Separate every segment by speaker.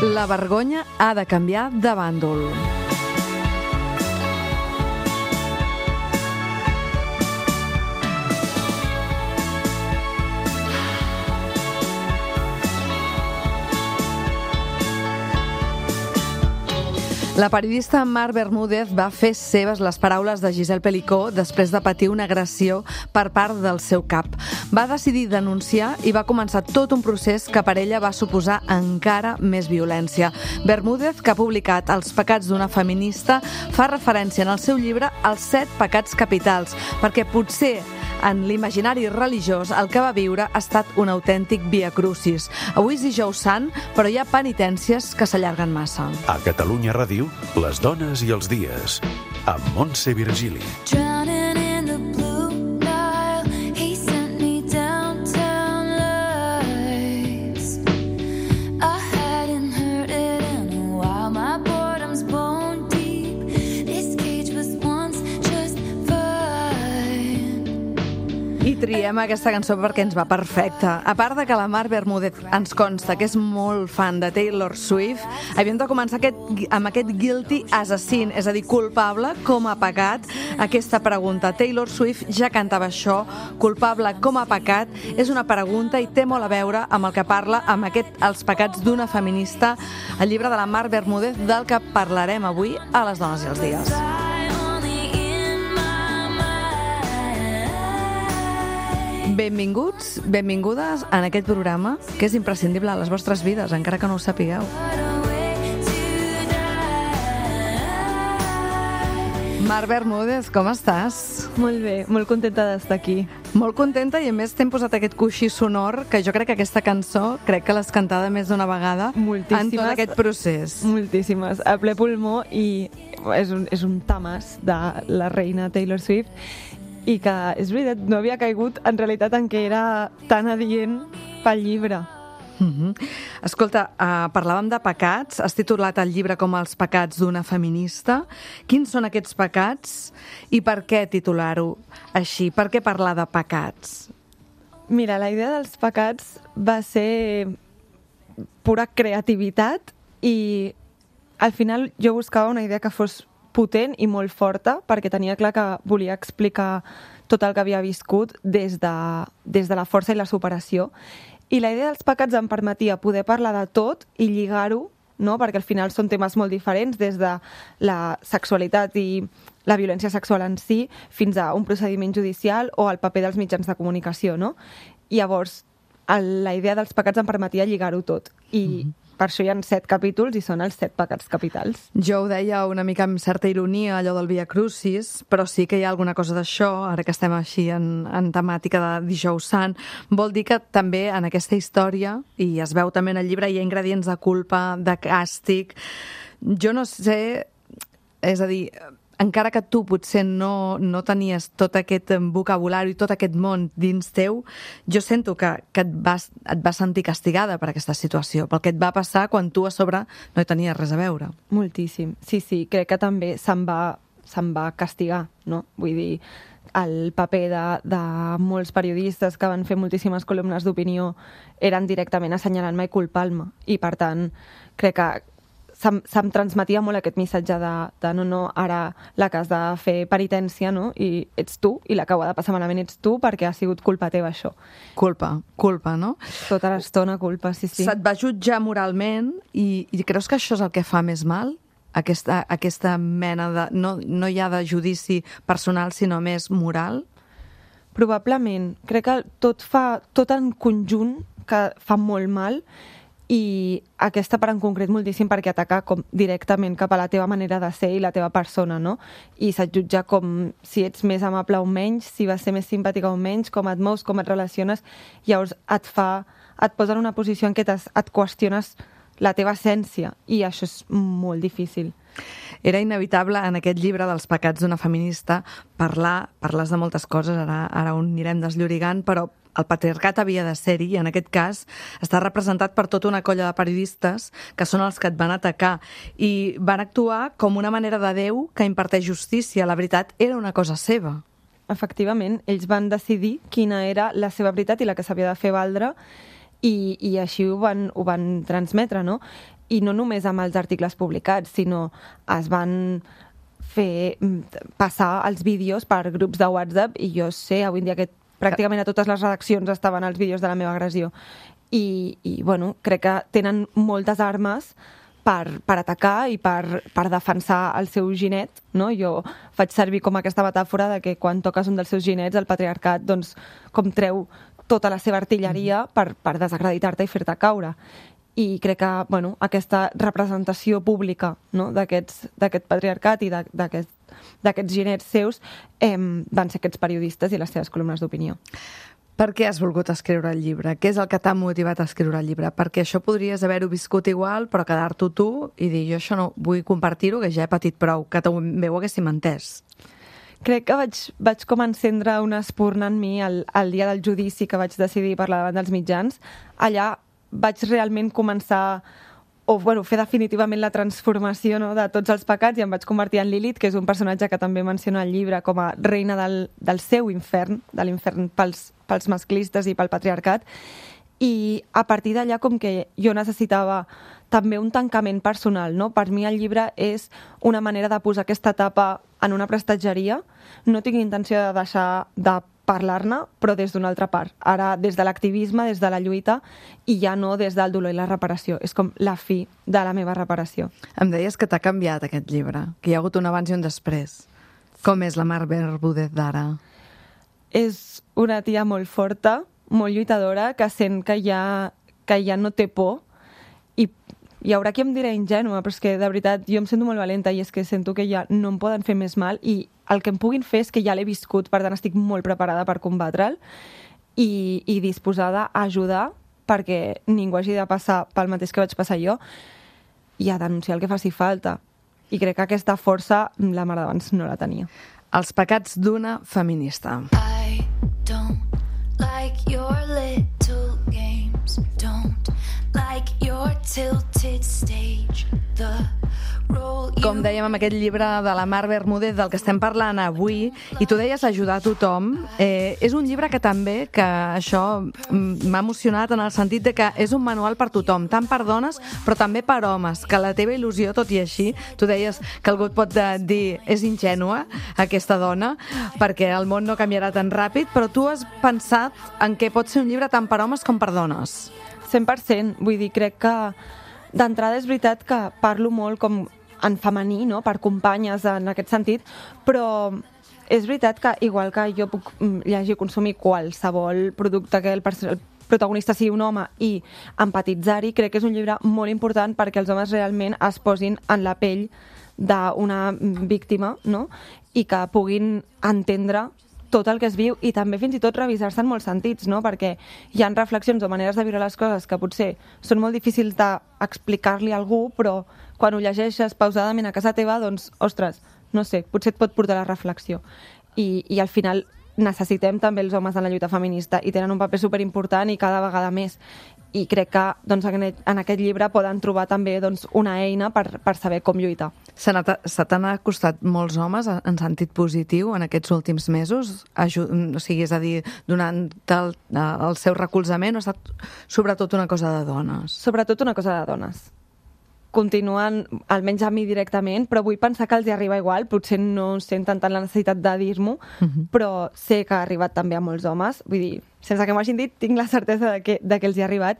Speaker 1: La vergonya ha de canviar de bàndol. La periodista Mar Bermúdez va fer seves les paraules de Giselle Pelicó després de patir una agressió per part del seu cap. Va decidir denunciar i va començar tot un procés que per ella va suposar encara més violència. Bermúdez, que ha publicat Els pecats d'una feminista, fa referència en el seu llibre als 7 pecats capitals, perquè potser en l'imaginari religiós el que va viure ha estat un autèntic via crucis. Avui és dijous sant, però hi ha penitències que s'allarguen massa.
Speaker 2: A Catalunya Ràdio, les dones i els dies, amb Montse Virgili.
Speaker 1: I triem aquesta cançó perquè ens va perfecta. A part de que la Mar Bermúdez ens consta que és molt fan de Taylor Swift, havíem de començar amb aquest guilty as a sin, és a dir, culpable com a pecat. Aquesta pregunta, Taylor Swift ja cantava això, culpable com a pecat, és una pregunta i té molt a veure amb el que parla amb Els pecats d'una feminista, el llibre de la Mar Bermúdez, del que parlarem avui a Les dones i els dies. Benvinguts, benvingudes en aquest programa que és imprescindible a les vostres vides, encara que no ho sapigueu. Mar Bermúdez, com estàs?
Speaker 3: Molt bé, molt contenta d'estar aquí.
Speaker 1: Molt contenta i a més t'hem posat aquest coixí sonor que jo crec que aquesta cançó crec que l'has cantada més d'una vegada en tot aquest procés.
Speaker 3: Moltíssimes, a ple pulmó i és un tamàs de la reina Taylor Swift i que, és veritat, no havia caigut en realitat en què era tan adient pel llibre.
Speaker 1: Escolta, parlàvem de pecats, has titulat el llibre com Els pecats d'una feminista. Quins són aquests pecats i per què titular-ho així? Per què parlar de pecats?
Speaker 3: Mira, la idea dels pecats va ser pura creativitat i al final jo buscava una idea que fos potent i molt forta, perquè tenia clar que volia explicar tot el que havia viscut des de la força i la superació. I la idea dels pecats em permetia poder parlar de tot i lligar-ho, no? Perquè al final són temes molt diferents, des de la sexualitat i la violència sexual en si, fins a un procediment judicial o el paper dels mitjans de comunicació, no? I llavors, la idea dels pecats em permetia lligar-ho tot. I per això hi ha 7 capítols i són els 7 pecats capitals.
Speaker 1: Jo ho deia una mica amb certa ironia, allò del Via Crucis, però sí que hi ha alguna cosa d'això, ara que estem així en temàtica de dijous sant. Vol dir que també en aquesta història, i es veu també en el llibre, hi ha ingredients de culpa, de càstig. Jo no sé, és a dir, encara que tu potser no tenies tot aquest vocabulari, tot aquest món dins teu, jo sento que et vas sentir castigada per aquesta situació, pel que et va passar quan tu a sobre no hi tenies res a veure.
Speaker 3: Moltíssim. Sí, crec que també se'm va castigar, no? Vull dir, el paper de molts periodistes que van fer moltíssimes columnes d'opinió eren directament assenyalant-me i culpant-me. I, per tant, crec que se'm transmetia molt aquest missatge de no, ara la que has de fer penitència, no? I ets tu, i la que ho ha de passar malament ets tu, perquè ha sigut culpa teva, això.
Speaker 1: Culpa, no?
Speaker 3: Tota l'estona culpa, sí.
Speaker 1: Se't va jutjar moralment i creus que això és el que fa més mal? Aquesta mena de... No hi ha de judici personal, sinó més moral?
Speaker 3: Probablement. Crec que tot en conjunt que fa molt mal, i aquesta part en concret moltíssim perquè ataca com directament cap a la teva manera de ser i la teva persona, no? I se't jutja com si ets més amable o menys, si vas ser més simpàtica o menys, com et mous, com et relaciones, llavors et posa en una posició en què et qüestiones la teva essència, i això és molt difícil.
Speaker 1: Era inevitable en aquest llibre dels pecats d'una feminista parles de moltes coses, ara on anirem desllorigant, però el patriarcat havia de ser-hi, i en aquest cas està representat per tota una colla de periodistes que són els que et van atacar i van actuar com una manera de Déu que imparteix justícia. La veritat era una cosa seva.
Speaker 3: Efectivament, ells van decidir quina era la seva veritat i la que s'havia de fer valdre, i així ho van transmetre, no? i no només amb els articles publicats, sinó es van fer passar els vídeos per grups de WhatsApp i jo sé avui en dia que pràcticament a totes les redaccions estaven els vídeos de la meva agressió. I bueno, crec que tenen moltes armes per atacar i per defensar el seu ginet, no? Jo faig servir com aquesta metàfora de que quan toques un dels seus ginets, el patriarcat, doncs, com treu tota la seva artilleria per desacreditar-te i fer-te caure. I crec que bueno, aquesta representació pública, no? d'aquest patriarcat i d'aquests ginets seus van ser aquests periodistes i les seves columnes d'opinió.
Speaker 1: Per què has volgut escriure el llibre? Què és el que t'ha motivat a escriure el llibre? Perquè això podries haver-ho viscut igual, però quedar-t'ho tu i dir, jo això no vull compartir-ho, que ja he patit prou, que també ho haguéssim entès.
Speaker 3: Crec que vaig com encendre una espurna en mi el dia del judici que vaig decidir parlar davant dels mitjans. Allà vaig realment començar fer definitivament la transformació, no?, de tots els pecats i em vaig convertir en Lilith, que és un personatge que també menciona al llibre com a reina del seu infern, de l'infern pels masclistes i pel patriarcat. I a partir d'allà com que jo necessitava també un tancament personal, no? Per mi el llibre és una manera de posar aquesta tapa en una prestatgeria. No tinc intenció de deixar de parlar-ne, però des d'una altra part. Ara, des de l'activisme, des de la lluita, i ja no des del dolor i la reparació. És com la fi de la meva reparació.
Speaker 1: Em deies que t'ha canviat aquest llibre, que hi ha hagut un abans i un després. Com és la Mar Bermúdez d'ara?
Speaker 3: És una tia molt forta, molt lluitadora, que sent que ja no té por, i hi haurà qui em dirà ingènua, però és que de veritat jo em sento molt valenta i és que sento que ja no em poden fer més mal i el que em puguin fer és que ja l'he viscut, per tant estic molt preparada per combatre'l i disposada a ajudar perquè ningú hagi de passar pel mateix que vaig passar jo i a denunciar el que faci falta. I crec que aquesta força la mare d'abans no la tenia.
Speaker 1: Els pecats d'una feminista.
Speaker 4: I don't like your little games, don't like your tilted stage, the role you...
Speaker 1: Com dèiem amb aquest llibre de la Mar Bermúdez del que estem parlant avui, i tu deies ajudar a tothom, és un llibre que també, que això m'ha emocionat en el sentit de que és un manual per tothom, tant per dones però també per homes, que la teva il·lusió, tot i així, tu deies que algú et pot dir és ingènua aquesta dona, perquè el món no canviarà tan ràpid, però tu has pensat en què pot ser un llibre tant per homes com per dones.
Speaker 3: 100%, vull dir, crec que d'entrada és veritat que parlo molt com en femení, no?, per companyes en aquest sentit, però és veritat que igual que jo puc llegir i consumir qualsevol producte que el protagonista sigui un home i empatitzar-hi, crec que és un llibre molt important perquè els homes realment es posin en la pell d'una víctima, no?, i que puguin entendre tot el que es viu i també fins i tot revisar-se en molts sentits, no? Perquè hi ha reflexions o maneres de viure les coses que potser són molt difícils d'explicar-li a algú, però quan ho llegeixes pausadament a casa teva, doncs, ostres, no sé, potser et pot portar a la reflexió. I al final necessitem també els homes en la lluita feminista i tenen un paper superimportant i cada vegada més. I crec que doncs, en aquest llibre poden trobar també doncs, una eina per saber com lluitar.
Speaker 1: Se t'han acostat molts homes en sentit positiu en aquests últims mesos? O sigui, és a dir, donant el seu recolzament, o ha estat sobretot una cosa de dones?
Speaker 3: Sobretot una cosa de dones. Continuen, almenys a mi directament, però vull pensar que els hi arriba igual, potser no senten tant la necessitat de dir-m'ho, però sé que ha arribat també a molts homes, vull dir, sense que m'ho hagin dit, tinc la certesa de que els hi ha arribat,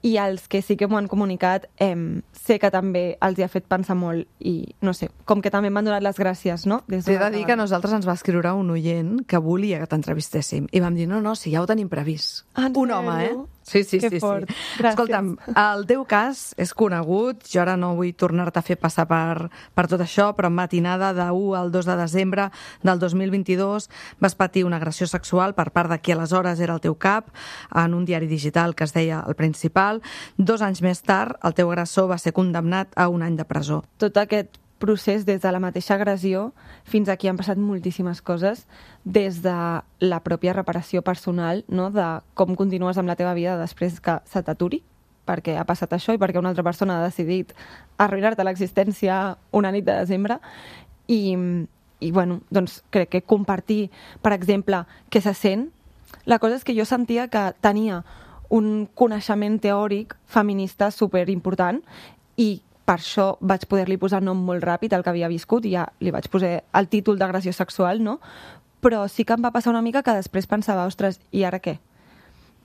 Speaker 3: i els que sí que m'ho han comunicat sé que també els hi ha fet pensar molt i, no sé, com que també m'han donat les gràcies, no?
Speaker 1: T'he de dir que a nosaltres ens va escriure un oient que volia que t'entrevistéssim i vam dir, no, si ja ho tenim previst. Un home, Sí.
Speaker 3: Que fort. Gràcies.
Speaker 1: Escolta'm, el teu cas és conegut, jo ara no vull tornar-te a fer passar per tot això, però en matinada de 1 al 2 de desembre del 2022 vas patir una agressió sexual per part de qui aleshores era el teu cap en un diari digital que es deia El Principal. 2 anys més tard, el teu agressor va ser condemnat a 1 any de presó.
Speaker 3: Tot aquest procés des de la mateixa agressió fins aquí han passat moltíssimes coses, des de la pròpia reparació personal, no? De com continues amb la teva vida després que se t'aturi, perquè ha passat això i perquè una altra persona ha decidit arruïnar-te l'existència una nit de desembre. I bueno, doncs crec que compartir, per exemple, què se sent. La cosa és que jo sentia que tenia un coneixement teòric feminista superimportant i per això vaig poder-li posar nom molt ràpid al que havia viscut i ja li vaig posar el títol d'agressió sexual, no? Però sí que em va passar una mica que després pensava, ostres, i ara què?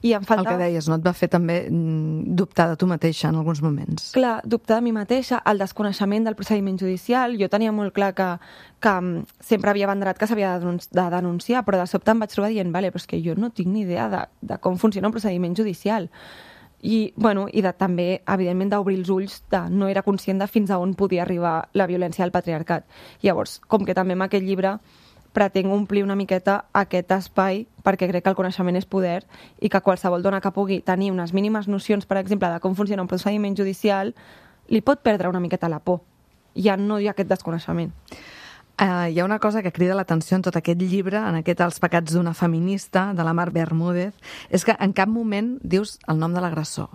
Speaker 3: I em falta...
Speaker 1: El que deies, no? Et va fer també dubtar de tu mateixa en alguns moments.
Speaker 3: Clar, dubtar de mi mateixa, el desconeixement del procediment judicial. Jo tenia molt clar que sempre havia banderat que s'havia de denunciar, però de sobte em vaig trobar dient, vale, però és que jo no tinc ni idea de com funciona un procediment judicial. I, bueno, i també, evidentment, d'obrir els ulls, no era conscient de fins a on podia arribar la violència del patriarcat. Llavors, com que també en aquest llibre pretenc omplir una miqueta aquest espai perquè crec que el coneixement és poder i que qualsevol dona que pugui tenir unes mínimes nocions, per exemple, de com funciona un procediment judicial, li pot perdre una miqueta la por. Ja no hi ha aquest desconeixement.
Speaker 1: Hi ha una cosa que crida l'atenció en tot aquest llibre, en aquest Els pecats d'una feminista, de la Mar Bermúdez, és que en cap moment dius el nom de l'agressor.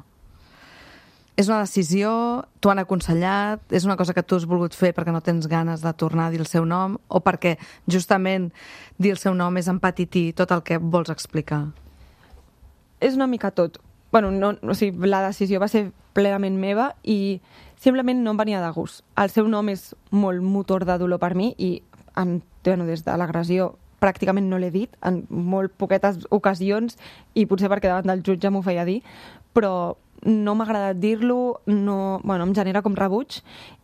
Speaker 1: És una decisió, t'ho han aconsellat, és una cosa que tu has volgut fer perquè no tens ganes de tornar a dir el seu nom o perquè justament dir el seu nom és empatitir tot el que vols explicar?
Speaker 3: És una mica tot. Bueno, la decisió va ser plenament meva i simplement no em venia de gust. El seu nom és molt motor de dolor per mi i des de l'agressió pràcticament no l'he dit, en molt poquetes ocasions i potser perquè davant del jutge m'ho feia dir, però no m'ha agradat dir-lo, em genera com rebuig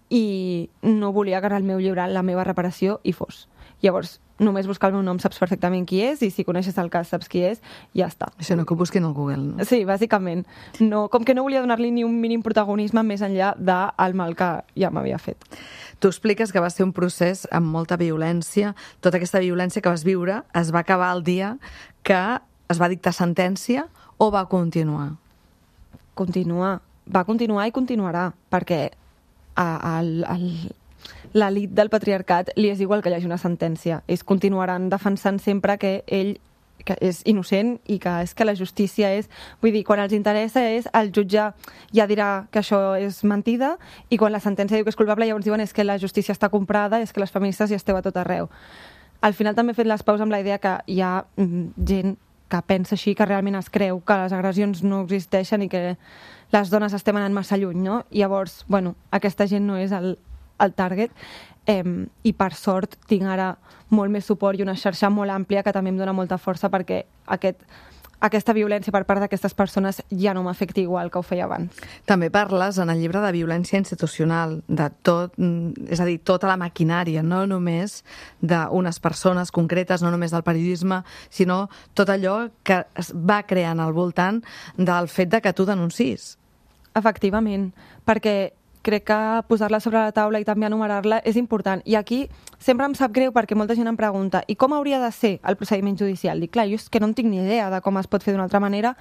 Speaker 3: i no volia que en el meu llibre la meva reparació hi fos. Llavors, només buscar el meu nom saps perfectament qui és i si coneixes el cas saps qui és, ja està.
Speaker 1: Això no, que ho busquin al Google, no?
Speaker 3: Sí, bàsicament. Com que no volia donar-li ni un mínim protagonisme més enllà del mal que ja m'havia fet.
Speaker 1: Tu expliques que va ser un procés amb molta violència. Tota aquesta violència que vas viure es va acabar el dia que es va dictar sentència o va continuar?
Speaker 3: Va continuar i continuarà, perquè l'elit del patriarcat li és igual que hi hagi una sentència. Ells continuaran defensant sempre que ell que és innocent i que és que la justícia és... Vull dir, quan els interessa és el jutge ja dirà que això és mentida i quan la sentència diu que és culpable llavors diuen és que la justícia està comprada, és que les feministes ja esteu a tot arreu. Al final també he fet les paus amb la idea que hi ha gent que pensa així, que realment es creu que les agressions no existeixen i que les dones estem anant massa lluny, no? I llavors, aquesta gent no és el target i per sort tinc ara molt més suport i una xarxa molt àmplia que també em dona molta força perquè aquesta violència per part d'aquestes persones ja no m'afecta igual que ho feia abans.
Speaker 1: També parles en el llibre de violència institucional, de tot, és a dir, tota la maquinària, no només d'unes persones concretes, no només del periodisme, sinó tot allò que es va creant al voltant del fet de que tu denuncis.
Speaker 3: Efectivament, perquè crec que posar-la sobre la taula i també enumerar-la és important. I aquí sempre em sap greu perquè molta gent em pregunta i com hauria de ser el procediment judicial? Dic, clar, jo és que no en tinc ni idea de com es pot fer d'una altra manera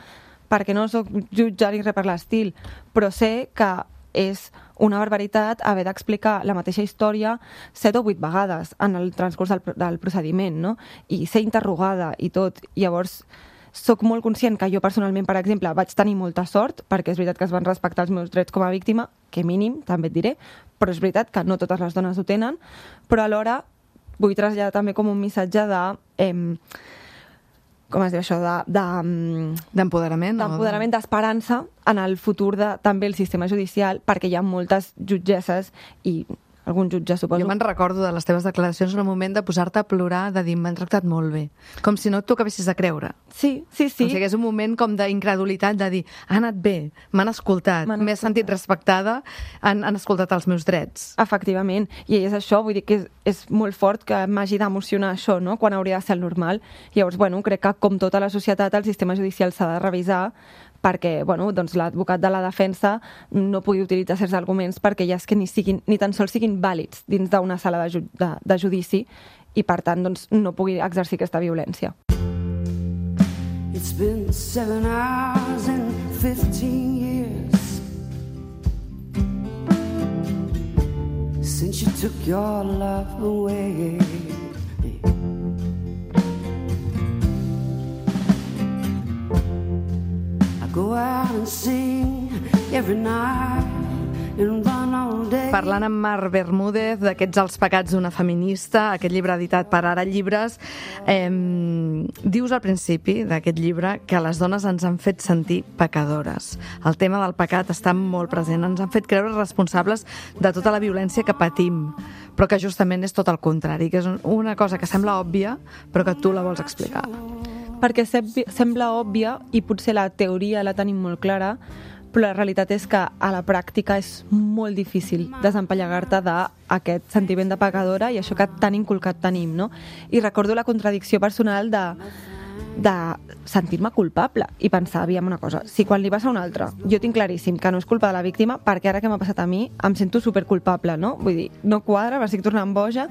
Speaker 3: perquè no soc jutge ni res per l'estil, però sé que és una barbaritat haver d'explicar la mateixa història 7 o 8 vegades en el transcurs del procediment, no? I ser interrogada i tot. Llavors, soc molt conscient que jo personalment, per exemple, vaig tenir molta sort, perquè és veritat que es van respectar els meus drets com a víctima, que mínim, també et diré, però és veritat que no totes les dones ho tenen, però alhora vull traslladar també com un missatge de... com es diu això?
Speaker 1: D'empoderament?
Speaker 3: D'empoderament, d'esperança en el futur de també el sistema judicial, perquè hi ha moltes jutgesses i algun jutge, suposo.
Speaker 1: Jo me'n recordo de les teves declaracions en el moment de posar-te a plorar, de dir, m'han tractat molt bé. Com si no t'ho acabessis de creure.
Speaker 3: Sí.
Speaker 1: O sigui, és un moment com d'incredulitat, de dir, ha anat bé, m'han escoltat, m'he sentit respectada, han escoltat els meus drets.
Speaker 3: Efectivament. I és això, vull dir que és molt fort que m'hagi d'emocionar això, no?, quan hauria de ser el normal. Llavors, crec que com tota la societat, el sistema judicial s'ha de revisar perquè l'advocat de la defensa no pugui utilitzar certs arguments perquè ja és que ni tan sols siguin vàlids dins d'una sala de judici i, per tant, no pugui exercir aquesta violència.
Speaker 5: It's been 7 hours and 15 years since you took your love away. Go out and sing every night and run all day.
Speaker 1: Parlant amb Mar Bermúdez d'aquests Els pecats d'una feminista, aquest llibre editat per Ara Llibres, dius al principi d'aquest llibre que les dones ens han fet sentir pecadores. El tema del pecat està molt present. Ens han fet creure responsables de tota la violència que patim, però que justament és tot el contrari, que és una cosa que sembla òbvia, però que tu la vols explicar.
Speaker 3: Perquè sembla òbvia i potser la teoria la tenim molt clara, però la realitat és que a la pràctica és molt difícil desempallegar-te d'aquest sentiment de pecadora i això que tan inculcat tenim, no? I recordo la contradicció personal de sentir-me culpable i pensar, aviam una cosa, si quan li passa a un altre jo tinc claríssim que no és culpa de la víctima, perquè ara que m'ha passat a mi em sento superculpable, no? Vull dir, no quadra, m'estic tornant boja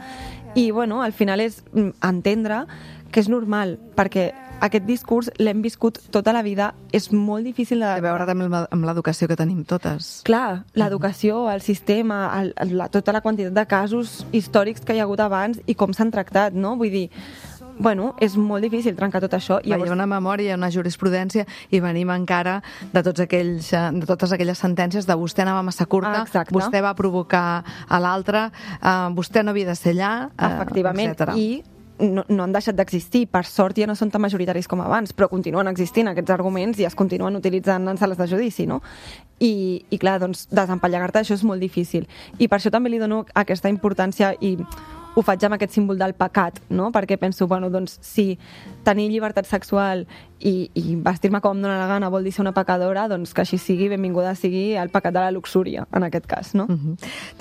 Speaker 3: i, bueno, al final és entendre que és normal, perquè aquest discurs l'hem viscut tota la vida, és molt difícil de...
Speaker 1: A veure també amb l'educació que tenim totes.
Speaker 3: Clar, l'educació, el sistema, tota la quantitat de casos històrics que hi ha hagut abans i com s'han tractat, no? Vull dir, bueno, és molt difícil trencar tot això.
Speaker 1: Hi ha una memòria, una jurisprudència i venim encara de totes aquelles sentències de vostè anava massa curta, vostè va provocar a l'altre, vostè no havia de ser allà,
Speaker 3: efectivament,
Speaker 1: etc.
Speaker 3: I no han deixat d'existir. Per sort ja no són tan majoritaris com abans, però continuen existint aquests arguments i es continuen utilitzant en sales de judici, no? I clar, doncs, desempallegar-te això és molt difícil. I per això també li dono aquesta importància i ho faig amb aquest símbol del pecat, no? Perquè penso, bueno, doncs, si tenir llibertat sexual i vestir-me com em dóna la gana vol dir ser una pecadora, doncs que així sigui, benvinguda sigui el pecat de la luxúria, en aquest cas, no?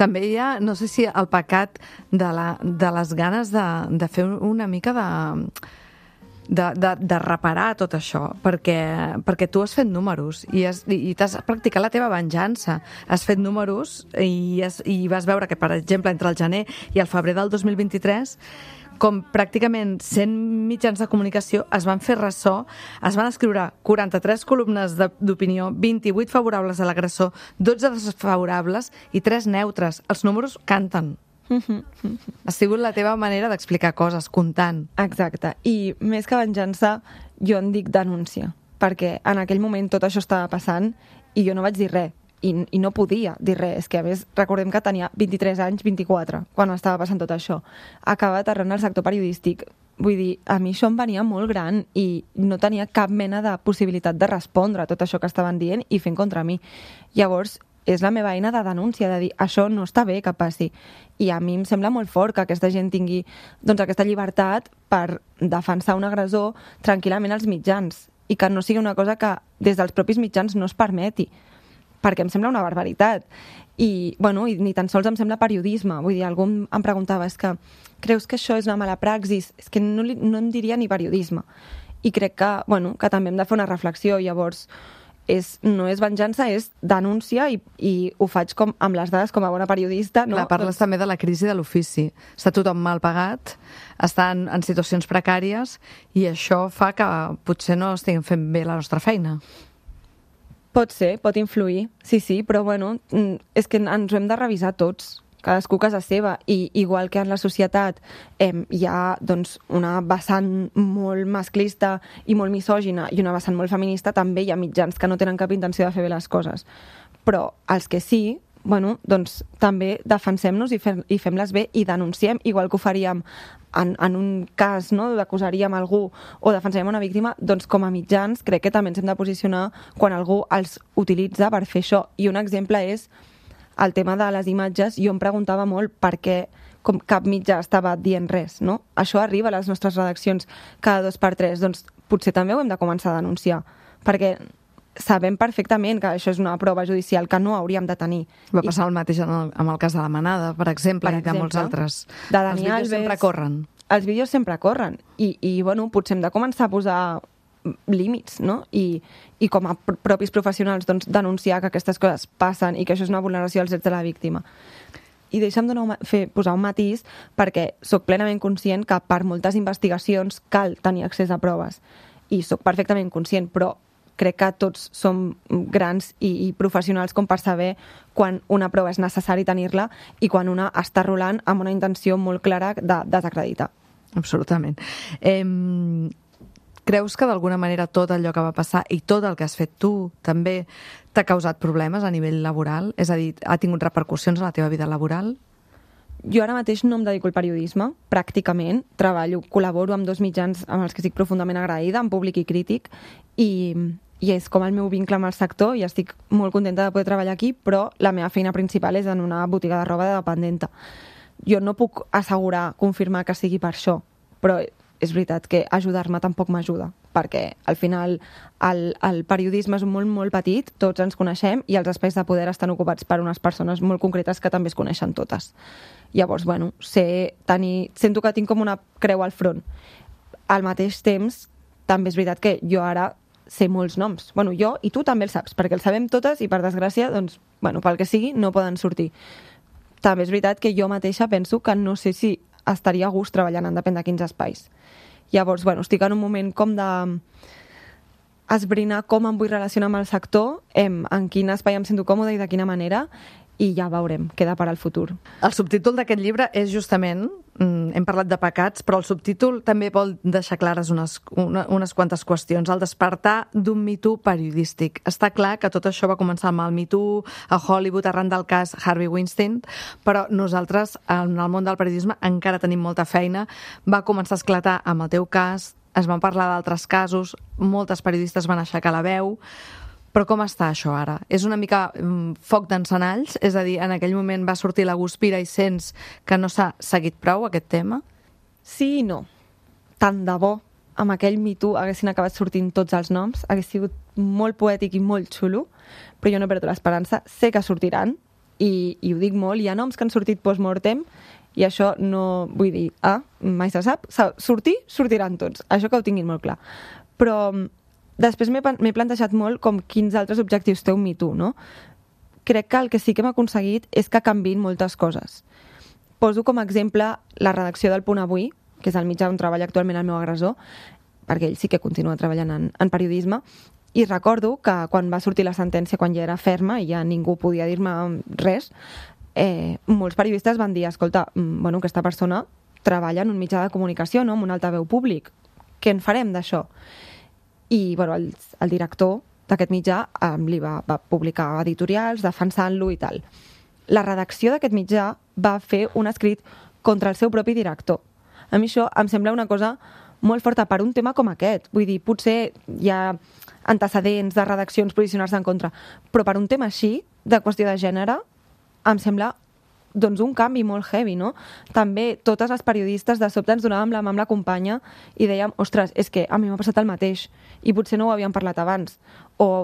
Speaker 1: També hi ha, no sé si el pecat de les ganes de fer una mica de reparar tot això, perquè tu has fet números i t'has practicat la teva venjança. Has fet números i vas veure que, per exemple, entre el gener i el febrer del 2023, com pràcticament 100 mitjans de comunicació es van fer ressò, es van escriure 43 columnes d'opinió, 28 favorables a l'agressor, 12 desfavorables i 3 neutres. Els números canten. Ha sigut la teva manera d'explicar coses, comptant.
Speaker 3: Exacte. I més que venjança, jo en dic denúncia, perquè en aquell moment tot això estava passant i jo no vaig dir res. I no podia dir res. És que, a més, recordem que tenia 23 anys, 24, quan estava passant tot això. Acaba aterrant al sector periodístic. Vull dir, a mi això em venia molt gran i no tenia cap mena de possibilitat de respondre a tot això que estaven dient i fent contra mi. Llavors, és la meva eina de denúncia, de dir, això no està bé que passi. I a mi em sembla molt fort que aquesta gent tingui doncs, aquesta llibertat per defensar un agressor tranquil·lament als mitjans i que no sigui una cosa que des dels propis mitjans no es permeti, perquè em sembla una barbaritat. I, bueno, i ni tan sols em sembla periodisme. Vull dir, algú em preguntava, és que creus que això és una mala praxis? És que no en diria ni periodisme. I crec que, bueno, que també hem de fer una reflexió. Llavors, no és venjança, és denúncia i ho faig com amb les dades com a bona periodista. No?
Speaker 1: Clar, parles també de la crisi de l'ofici. Està tothom mal pagat, estan en situacions precàries i això fa que potser no estiguem fent bé la nostra feina.
Speaker 3: Pot ser, pot influir, sí, però bueno, és que ens ho hem de revisar tots, cadascú a casa seva, i igual que en la societat hi ha doncs, una vessant molt masclista i molt misògina i una vessant molt feminista, també hi ha mitjans que no tenen cap intenció de fer bé les coses. Però els que sí, bueno, doncs també defensem-nos i fem-les bé i denunciem, igual que ho faríem en un cas, no?, d'acusaríem algú o defensaríem una víctima, doncs com a mitjans crec que també ens hem de posicionar quan algú els utilitza per fer això. I un exemple és el tema de les imatges. Jo em preguntava molt per què cap mitjà estava dient res, no? Això arriba a les nostres redaccions cada 2 per 3, doncs potser també ho hem de començar a denunciar, perquè sabem perfectament que això és una prova judicial que no hauríem de tenir.
Speaker 1: Va passar el mateix amb el cas de la Manada, per exemple, i de molts altres.
Speaker 3: De Dani
Speaker 1: Els vídeos
Speaker 3: Alves,
Speaker 1: sempre corren.
Speaker 3: Els vídeos sempre corren i bueno, potser hem de començar a posar límits, no? I com a propis professionals doncs, denunciar que aquestes coses passen i que això és una vulneració dels drets de la víctima. I deixa'm posar un matís, perquè sóc plenament conscient que per moltes investigacions cal tenir accés a proves. I sóc perfectament conscient, però crec que tots som grans i professionals com per saber quan una prova és necessari tenir-la i quan una està rolant amb una intenció molt clara de desacreditar.
Speaker 1: Absolutament. Creus que d'alguna manera tot allò que va passar i tot el que has fet tu també t'ha causat problemes a nivell laboral? És a dir, ha tingut repercussions en la teva vida laboral?
Speaker 3: Jo ara mateix no em dedico al periodisme, pràcticament. Col·laboro amb 2 mitjans amb els que estic profundament agraïda, en Públic i Crític, i és com el meu vincle amb el sector i estic molt contenta de poder treballar aquí, però la meva feina principal és en una botiga de roba de dependenta. Jo no puc confirmar que sigui per això, però és veritat que ajudar-me tampoc m'ajuda, perquè al final el periodisme és un món molt petit, tots ens coneixem i els espais de poder estan ocupats per unes persones molt concretes que també es coneixen totes. Llavors, bueno, sento que tinc com una creu al front. Al mateix temps, també és veritat que jo ara sé molts noms. Bueno, jo i tu també el saps, perquè el sabem totes i per desgràcia, doncs, bueno, pel que sigui, no poden sortir. També és veritat que jo mateixa penso que no sé si estaria a gust treballant en depèn de quins espais. Llavors, bueno, estic en un moment com de esbrinar com em vull relacionar amb el sector, en quin espai em sento còmode i de quina manera, i ja veurem, queda per al futur.
Speaker 1: El subtítol d'aquest llibre és justament, hem parlat de pecats, però el subtítol també vol deixar clares unes quantes qüestions. El despertar d'un Me Too periodístic. Està clar que tot això va començar amb el Me Too a Hollywood arran del cas Harvey Weinstein, però nosaltres, en el món del periodisme, encara tenim molta feina. Va començar a esclatar amb el teu cas, es van parlar d'altres casos, moltes periodistes van aixecar la veu. Però com està això ara? És una mica foc d'encenalls? És a dir, en aquell moment va sortir la Guspira i sents que no s'ha seguit prou aquest tema?
Speaker 3: Sí i no. Tant de bo amb aquell Me Too haguessin acabat sortint tots els noms, hagués sigut molt poètic i molt xulo, però jo no perdo l'esperança. Sé que sortiran, i ho dic molt, hi ha noms que han sortit post-mortem, i això no vull dir, mai se sap, sortiran tots. Això que ho tinguin molt clar. Però després m'he plantejat molt com quins altres objectius té un Me Too, no? Crec que el que sí que hem aconseguit és que canviïn moltes coses. Poso com a exemple la redacció del Punt Avui, que és el mitjà on treballa actualment el meu agressor, perquè ell sí que continua treballant en periodisme, i recordo que quan va sortir la sentència, quan ja era ferma i ja ningú podia dir-me res, molts periodistes van dir, escolta, bueno, aquesta persona treballa en un mitjà de comunicació, no? En un altaveu públic. Què en farem d'això? I bueno, el director d'aquest mitjà li va publicar editorials defensant-lo i tal. La redacció d'aquest mitjà va fer un escrit contra el seu propi director. A mi això em sembla una cosa molt forta per un tema com aquest. Vull dir, potser hi ha antecedents de redaccions posicionar-se en contra, però per un tema així, de qüestió de gènere, em sembla doncs un canvi molt heavy, no? També totes les periodistes de sobte ens donàvem la mà amb la companya i dèiem, ostres, és que a mi m'ha passat el mateix i potser no ho havíem parlat abans.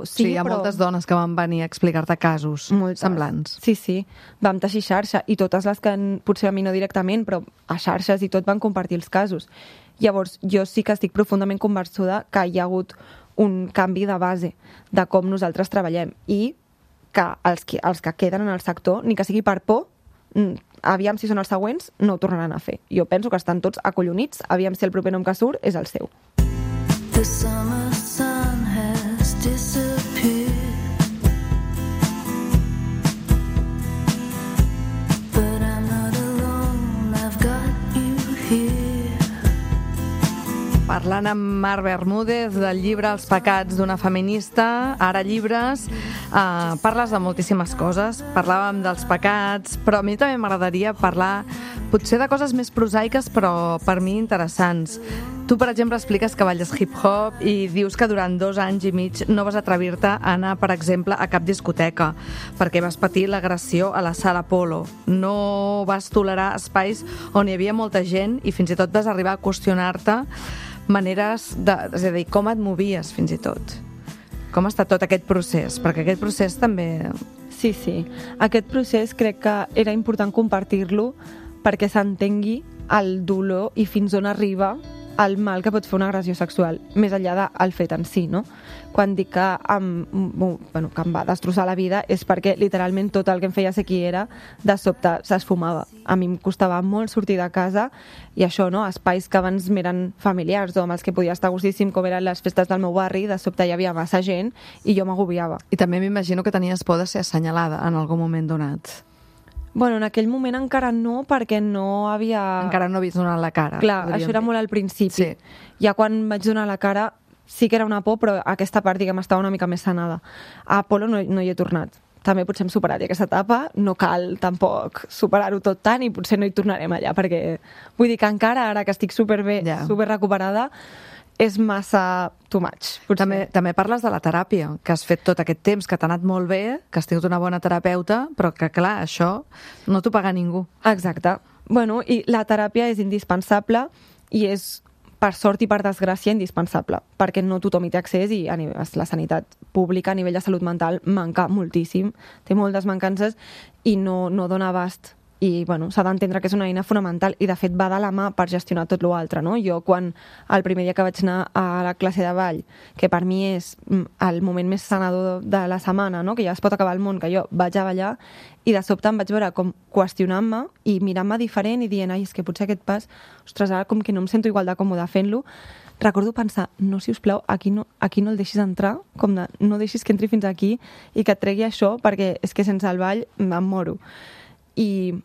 Speaker 1: Sí, hi ha moltes dones que van venir a explicar-te casos semblants.
Speaker 3: Sí, vam teixir xarxa i totes les que potser a mi no directament, però a xarxes i tot van compartir els casos. Llavors, jo sí que estic profundament convençuda que hi ha hagut un canvi de base de com nosaltres treballem i que els que queden en el sector, ni que sigui per por, aviam si són els següents, no ho tornaran a fer. Jo penso que estan tots acollonits, aviam si el proper nom que surt és el seu.
Speaker 4: The summer sun has disappeared, but I'm not alone, I've got you here.
Speaker 1: Parlant amb Mar Bermúdez del llibre Els pecats d'una feminista, ara llibres, parles de moltíssimes coses. Parlàvem dels pecats, però a mi també m'agradaria parlar potser de coses més prosaiques, però per mi interessants. Tu, per exemple, expliques que balles hip-hop i dius que durant 2 anys i mig no vas atrevir-te a anar, per exemple, a cap discoteca, perquè vas patir l'agressió a la sala Polo. No vas tolerar espais on hi havia molta gent i fins i tot vas arribar a qüestionar-te maneres és a dir, com et movies fins i tot. Com ha estat tot aquest procés? Perquè aquest procés també...
Speaker 3: Sí. Aquest procés crec que era important compartir-lo perquè s'entengui el dolor i fins on arriba el mal que pot fer una agressió sexual, més enllà del fet en si, no? Quan dic que em va destrossar la vida és perquè literalment tot el que em feia ser qui era de sobte s'esfumava. A mi em costava molt sortir de casa i això, no? Espais que abans m'eren familiars o amb els que podia estar gustíssim, com eren les festes del meu barri, de sobte hi havia massa gent i jo m'agobiava.
Speaker 1: I també m'imagino que tenies por de ser assenyalada en algun moment donat.
Speaker 3: Bueno, en aquell moment encara no, perquè no havia...
Speaker 1: Encara no havies donat la cara.
Speaker 3: Clar, això era molt al principi.
Speaker 1: Sí.
Speaker 3: Ja quan vaig donar la cara sí que era una por, però aquesta part, diguem, estava una mica més sanada. A Apolo no hi he tornat. també potser hem superat ja aquesta etapa, no cal tampoc superar-ho tot tant i potser no hi tornarem allà, perquè vull dir que encara ara que estic superbé, super recuperada, és massa too much.
Speaker 1: També parles de la teràpia, que has fet tot aquest temps, que t'ha anat molt bé, que has tingut una bona terapeuta, però que, clar, això no t'ho paga ningú.
Speaker 3: Exacte. Bueno, i la teràpia és indispensable i és, per sort i per desgràcia, indispensable, perquè no tothom hi té accés i la sanitat pública a nivell de salut mental manca moltíssim, té moltes mancances i no dona abast. I bueno, s'ha d'entendre que és una eina fonamental i de fet va de la mà per gestionar tot l'altre, no? Jo quan el primer dia que vaig anar a la classe de ball, que per mi és el moment més sanador de la setmana, no? Que ja es pot acabar el món, que jo vaig a ballar i de sobte em vaig veure com qüestionant-me i mirant-me diferent i dient, ai, és que potser aquest pas, ostres, ara com que no em sento igual de còmode fent-lo, recordo pensar, no, sisplau, aquí no el deixis entrar, com de no deixis que entri fins aquí i que et tregui això, perquè és que sense el ball em moro. I,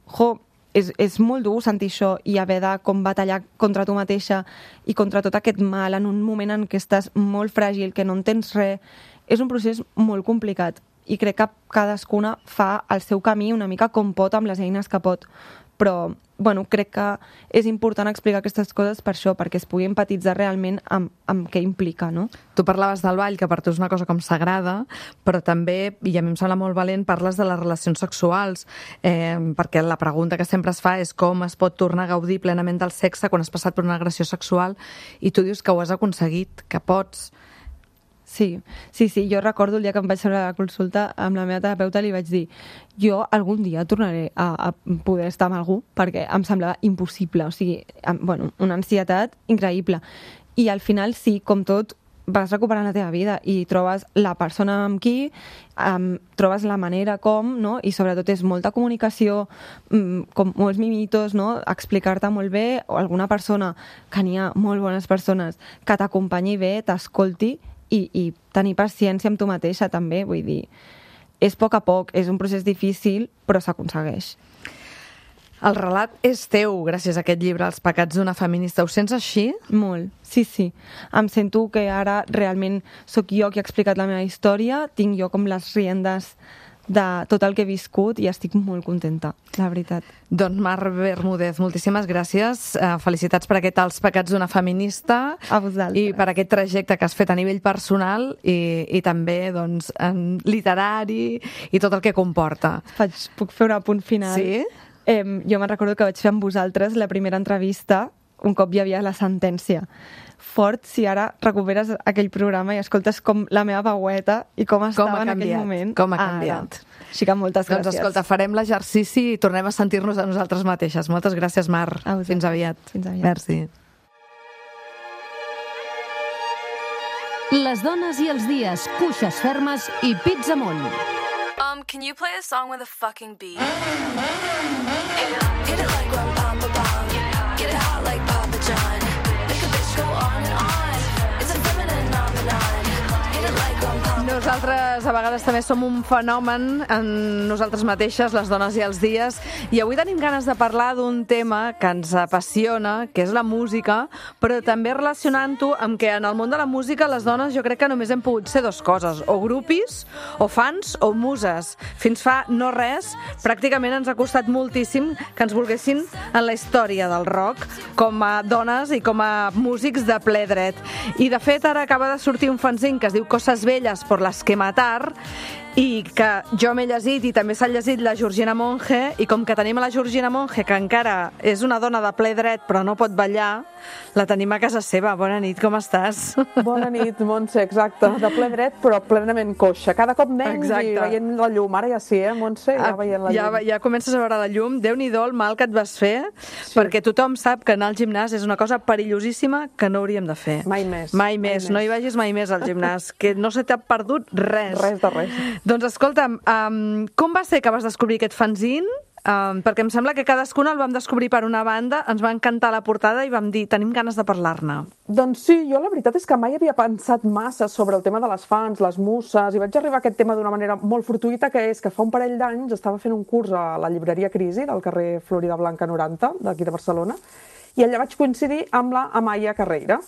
Speaker 3: és molt dur sentir això i haver de com batallar contra tu mateixa i contra tot aquest mal en un moment en què estàs molt fràgil, que no entens res. És un procés molt complicat i crec que cadascuna fa el seu camí una mica com pot amb les eines que pot. Però, bueno, crec que és important explicar aquestes coses per això, perquè es pugui empatitzar realment amb què implica, no?
Speaker 1: Tu parlaves del ball, que per tu és una cosa com sagrada, però també, i a mi em sembla molt valent, parles de les relacions sexuals, perquè la pregunta que sempre es fa és com es pot tornar a gaudir plenament del sexe quan has passat per una agressió sexual, i tu dius que ho has aconseguit, que pots.
Speaker 3: Sí, jo recordo el dia que em vaig veure a la consulta amb la meva terapeuta, li vaig dir, jo algun dia tornaré a poder estar amb algú, perquè em semblava impossible, o sigui, bueno, una ansietat increïble. I al final sí, com tot, vas recuperant la teva vida i trobes la persona amb qui, trobes la manera com, no? I sobretot és molta comunicació, com molts mimitos, no? Explicar-te molt bé, o alguna persona, que n'hi ha molt bones persones, que t'acompanyi bé, t'escolti, i tenir paciència amb tu mateixa també, vull dir, és a poc, és un procés difícil, però s'aconsegueix.
Speaker 1: El relat és teu, gràcies a aquest llibre, Els pecats d'una feminista. Ho sents així?
Speaker 3: Molt, sí. Em sento que ara realment sóc jo qui ha explicat la meva història, tinc jo com les riendes de tot el que he viscut i estic molt contenta, la veritat.
Speaker 1: Doncs Mar Bermúdez, moltíssimes gràcies. Felicitats per aquest Els pecats d'una feminista.
Speaker 3: A vosaltres.
Speaker 1: I per aquest trajecte que has fet a nivell personal i també doncs, en literari i tot el que comporta.
Speaker 3: Puc fer un apunt final?
Speaker 1: Sí?
Speaker 3: Jo me'n recordo que vaig fer amb vosaltres la primera entrevista un cop hi havia la sentència. Fort si ara recuperes aquell programa i escoltes com la meva veueta i com estava en aquell moment.
Speaker 1: Com ha canviat.
Speaker 3: Així que moltes gràcies.
Speaker 1: Doncs escolta, farem l'exercici i tornem a sentir-nos a nosaltres mateixes. Moltes gràcies, Mar. Fins aviat. Merci.
Speaker 6: Les dones i els dies, cuixes fermes i pits amunt.
Speaker 7: Can you play a song with a fucking beat? Hit it like rum pam pam pam. Get it hot like Papa John. Make a bitch go on and on. It's a feminine phenomenon. Hit it like rum pam.
Speaker 1: Nosaltres a vegades també som un fenomen en nosaltres mateixes, les dones i els dies, i avui tenim ganes de parlar d'un tema que ens apassiona, que és la música, però també relacionant-ho amb que en el món de la música les dones jo crec que només hem pogut ser dues coses, o grupis, o fans, o muses. Fins fa no res, pràcticament ens ha costat moltíssim que ens volguessin en la història del rock, com a dones i com a músics de ple dret. I de fet ara acaba de sortir un fanzine que es diu Cosas Bellas por las que matar, i que jo m'he llegit i també s'ha llegit la Georgina Monge, i com que tenim a la Georgina Monge, que encara és una dona de ple dret però no pot ballar, la tenim a casa seva. Bona nit, com estàs?
Speaker 8: Bona nit, Montse, exacte. De ple dret però plenament coixa. Cada cop menys i veient la llum. Ara ja sí, Montse? Ja veient la llum.
Speaker 1: Ja comences a veure la llum. Déu-n'hi-do el mal que et vas fer, perquè tothom sap que anar al gimnàs és una cosa perillosíssima que no hauríem de fer.
Speaker 8: Mai més.
Speaker 1: Mai més. No hi vagis mai més al gimnàs, que no se t'ha perdut res.
Speaker 8: Res de res.
Speaker 1: Doncs escolta'm, com va ser que vas descobrir aquest fanzine? Perquè em sembla que cadascuna el vam descobrir per una banda, ens va encantar la portada i vam dir, tenim ganes de parlar-ne.
Speaker 8: Doncs sí, jo la veritat és que mai havia pensat massa sobre el tema de les fans, les muses, i vaig arribar a aquest tema d'una manera molt fortuïta, que és que fa un parell d'anys estava fent un curs a la llibreria Crisi, del carrer Florida Blanca 90, d'aquí de Barcelona, i allà vaig coincidir amb la Amaya Carreira.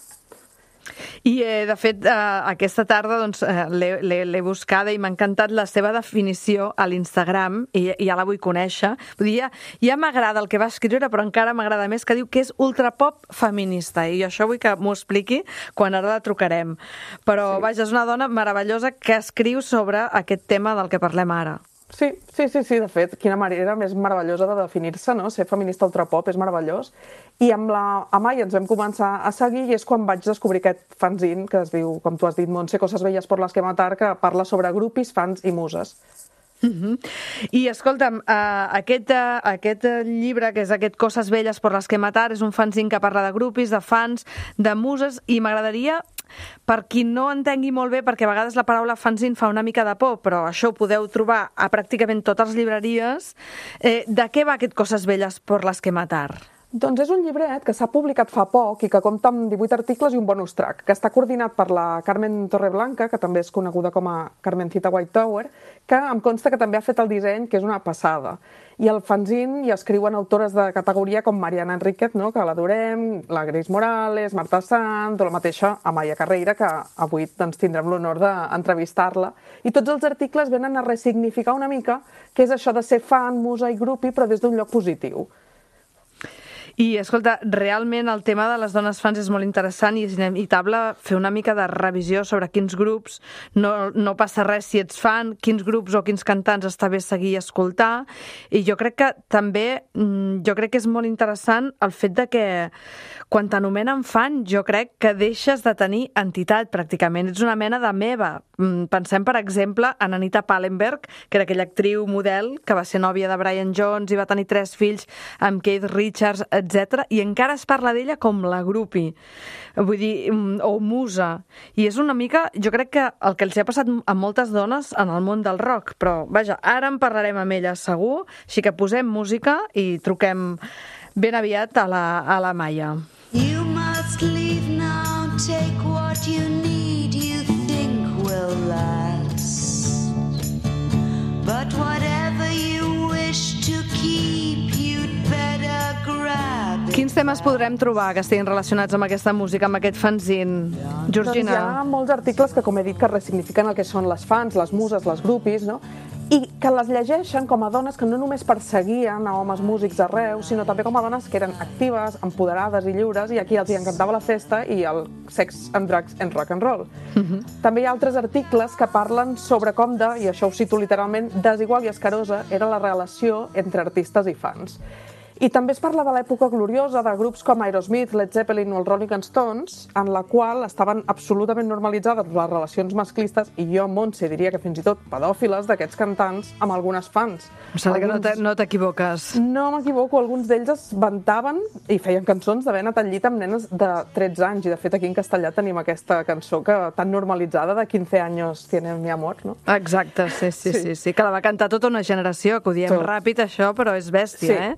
Speaker 1: I, de fet, aquesta tarda doncs, l'he buscada i m'ha encantat la seva definició a l'Instagram i ja la vull conèixer. Vull dir, ja m'agrada el que va escriure, però encara m'agrada més que diu que és ultrapop feminista i això vull que m'ho expliqui quan ara la trucarem. Però, vaja, és una dona meravellosa que escriu sobre aquest tema del que parlem ara.
Speaker 8: Sí, de fet, quina manera més meravellosa de definir-se, no? Ser feminista ultrapop és meravellós. I amb la Amaya ens vam començar a seguir i és quan vaig descobrir aquest fanzine que es diu, com tu has dit, Montse, Coses Belles por las que matar, que parla sobre grupis, fans i muses.
Speaker 1: I escolta'm, aquest llibre, que és aquest Coses Belles por las que matar, és un fanzine que parla de grupis, de fans, de muses, i m'agradaria, per qui no entengui molt bé, perquè a vegades la paraula fanzine fa una mica de por, però això ho podeu trobar a pràcticament totes les llibreries, de què va aquest Coses Belles por las que matar?
Speaker 8: Doncs és un llibret que s'ha publicat fa poc i que compta amb 18 articles i un bonus track, que està coordinat per la Carmen Torreblanca, que també és coneguda com a Carmencita White Tower, que em consta que també ha fet el disseny, que és una passada. I al fanzine hi escriuen autores de categoria com Mariana Enríquez, no?, que l'adorem, la Grace Morales, Marta Sant, o la mateixa Amaya Carreira, que avui doncs, tindrem l'honor d'entrevistar-la. I tots els articles venen a ressignificar una mica què és això de ser fan, musa i grupi, però des d'un lloc positiu.
Speaker 1: I, escolta, realment el tema de les dones fans és molt interessant i és inevitable fer una mica de revisió sobre quins grups no passa res si ets fan, quins grups o quins cantants està bé seguir i escoltar. I jo crec que també, és molt interessant el fet de que quan t'anomenen fan, jo crec que deixes de tenir entitat pràcticament. Ets una mena de meva. Pensem, per exemple, en Anita Pallenberg, que era aquella actriu model que va ser nòvia de Brian Jones i va tenir 3 fills amb Keith Richards, etc. I encara es parla d'ella com la grupi, vull dir, o musa. I és una mica, jo crec que el que els ha passat a moltes dones en el món del rock, però vaja, ara en parlarem amb ella segur, així que posem música i truquem ben aviat a la Maia.
Speaker 4: You must leave now, take what you need, you think will last. But whatever you wish to keep, you'd better grab it.
Speaker 1: Quins temes podrem trobar que estiguin relacionats amb aquesta música, amb aquest fanzine? Georgina?
Speaker 8: Doncs hi ha molts articles que, com he dit, que ressignifiquen el que són les fans, les muses, les grupis, no? I que les llegeixen com a dones que no només perseguien a homes músics arreu, sinó també com a dones que eren actives, empoderades i lliures, i aquí els hi encantava la festa i el sex and drugs and rock and roll. També hi ha altres articles que parlen sobre com de, i això ho cito literalment, desigual i escarosa era la relació entre artistes i fans. I també es parla de l'època gloriosa de grups com Aerosmith, Led Zeppelin o els Rolling Stones, en la qual estaven absolutament normalitzades les relacions masclistes, i jo, Montse, diria que fins i tot pedòfiles d'aquests cantants amb algunes fans.
Speaker 1: Em sembla que no t'equivoques.
Speaker 8: No m'equivoco, alguns d'ells es vantaven i feien cançons d'haver anat al llit amb nenes de 13 anys, i de fet aquí en castellà tenim aquesta cançó que tan normalitzada de 15 anys tiene mi amor, no?
Speaker 1: Exacte, sí, que la va cantar tota una generació, que ho diem ràpid això, però és bèstia,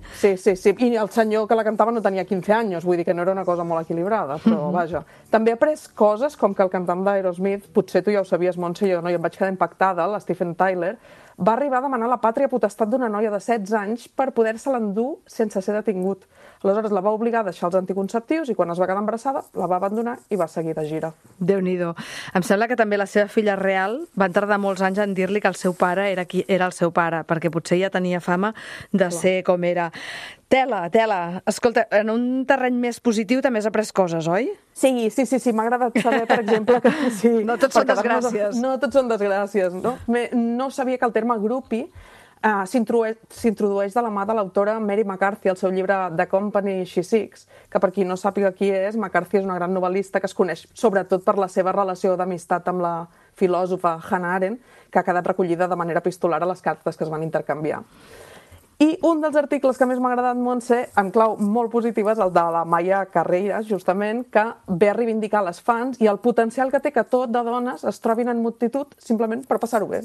Speaker 8: Sí, i el senyor que la cantava no tenia 15 anys, vull dir que no era una cosa molt equilibrada, però vaja. També ha après coses com que el cantant d'Aerosmith, potser tu ja ho sabies, Montse, jo no, i em vaig quedar impactada, l'Stephen Tyler, va arribar a demanar la pàtria potestat d'una noia de 16 anys per poder-se-la endur sense ser detingut. Aleshores la va obligar a deixar els anticonceptius i quan es va quedar embarassada la va abandonar i va seguir de gira.
Speaker 1: Déu-n'hi-do. Em sembla que també la seva filla real van tardar molts anys en dir-li que el seu pare era el seu pare, perquè potser ja tenia fama de ser com era. Tela. Escolta, en un terreny més positiu també has après coses, oi?
Speaker 8: Sí, m'ha agradat saber, per exemple, que... Sí,
Speaker 1: no tots són desgràcies.
Speaker 8: No tots són desgràcies, no? No sabia que el terme grupi s'introdueix de la mà de l'autora Mary McCarthy al seu llibre The Company She Seeks, que per qui no sàpiga qui és, McCarthy és una gran novel·lista que es coneix sobretot per la seva relació d'amistat amb la filòsofa Hannah Arendt, que ha quedat recollida de manera epistolar a les cartes que es van intercanviar. I un dels articles que més m'ha agradat, Montse, en clau molt positiva, és el de la Amaya Carreira, justament, que ve a reivindicar les fans i el potencial que té que tot de dones es trobin en multitud simplement per passar-ho bé.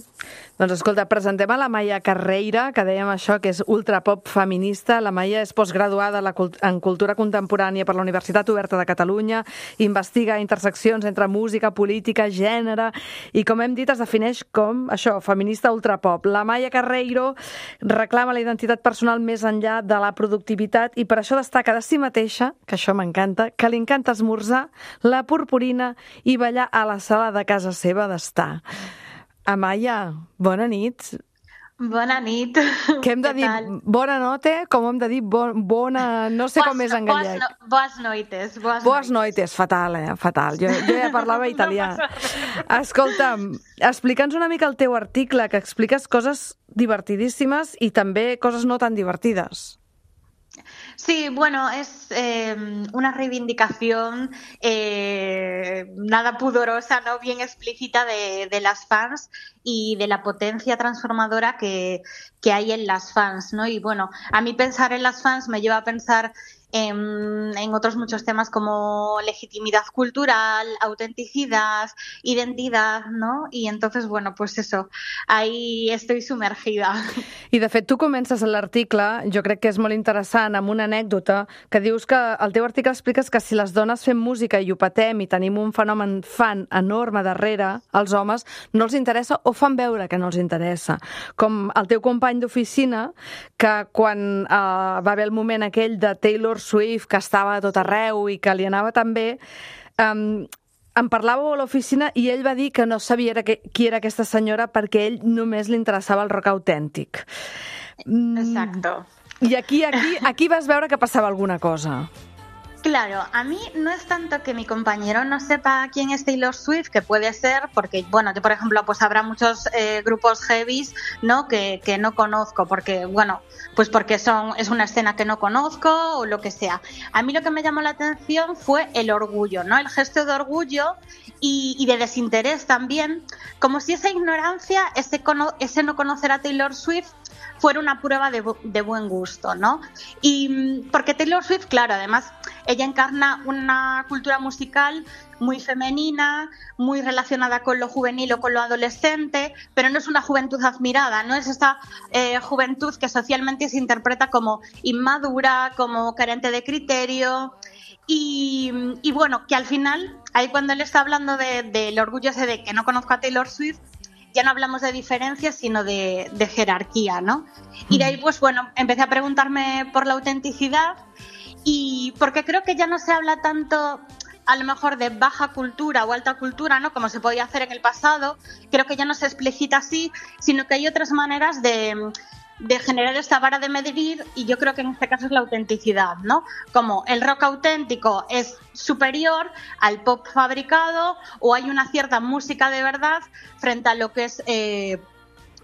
Speaker 1: Doncs escolta, presentem a la Amaya Carreira, que dèiem això, que és ultrapop feminista. La Amaya és postgraduada en Cultura Contemporània per la Universitat Oberta de Catalunya, investiga interseccions entre música, política, gènere, i com hem dit es defineix com això, feminista ultrapop. La Amaya Carreiro reclama la identitat identitat personal més enllà de la productivitat i per això destaca de si mateixa, que això m'encanta, que li encanta esmorzar, la purpurina i ballar a la sala de casa seva d'estar. Amaya, bona nit.
Speaker 9: Bona nit.
Speaker 1: Què hem de dir? Bona noite? Com hem de dir? Bona... No sé com és en gallec.
Speaker 9: Boas noites.
Speaker 1: Boas noites. Fatal, fatal. Jo ja parlava italià. Escolta'm, explica'ns una mica el teu article, que expliques coses divertidíssimes i també coses no tan divertides.
Speaker 9: Sí, bueno, es una reivindicación nada pudorosa, ¿no? Bien explícita de las fans y de la potencia transformadora que hay en las fans, ¿no? Y bueno, a mí pensar en las fans me lleva a pensar en otros muchos temas como legitimidad cultural, autenticidad, identidad, ¿no? Y entonces, bueno, pues eso, ahí estoy sumergida.
Speaker 1: I de fet tu comences l'article, jo crec que és molt interessant, amb una anècdota que dius que al teu article expliques que si les dones fem música i ho patem i tenim un fenomen fan enorme darrere, als homes no els interessa o fan veure que no els interessa. Com el teu company d'oficina, que quan va haver el moment aquell de Taylor Swift, que estava a tot arreu i que li anava tan bé, em parlàveu a l'oficina i ell va dir que no sabia qui era aquesta senyora perquè a ell només li interessava el rock autèntic.
Speaker 9: Exacto.
Speaker 1: I aquí vas veure que passava alguna cosa.
Speaker 9: Claro, a mí no es tanto que mi compañero no sepa quién es Taylor Swift, que puede ser, porque, bueno, yo, por ejemplo, pues habrá muchos grupos heavies, ¿no? que no conozco, porque, bueno, pues porque es una escena que no conozco o lo que sea. A mí lo que me llamó la atención fue el orgullo, ¿no? El gesto de orgullo y de desinterés también, como si esa ignorancia, ese no conocer a Taylor Swift fuera una prueba de buen gusto, ¿no? Y porque Taylor Swift, claro, además, ella encarna una cultura musical muy femenina, muy relacionada con lo juvenil o con lo adolescente, pero no es una juventud admirada, no es esta juventud que socialmente se interpreta como inmadura, como carente de criterio. Y bueno, que al final, ahí cuando él está hablando del orgullo ese de que no conozco a Taylor Swift, ya no hablamos de diferencias, sino de jerarquía, ¿no? Y de ahí, pues bueno, empecé a preguntarme por la autenticidad y porque creo que ya no se habla tanto, a lo mejor, de baja cultura o alta cultura, ¿no? Como se podía hacer en el pasado. Creo que ya no se explicita así, sino que hay otras maneras de generar esta vara de medir, y yo creo que en este caso es la autenticidad, ¿no? Como el rock auténtico es superior al pop fabricado, o hay una cierta música de verdad frente a lo que es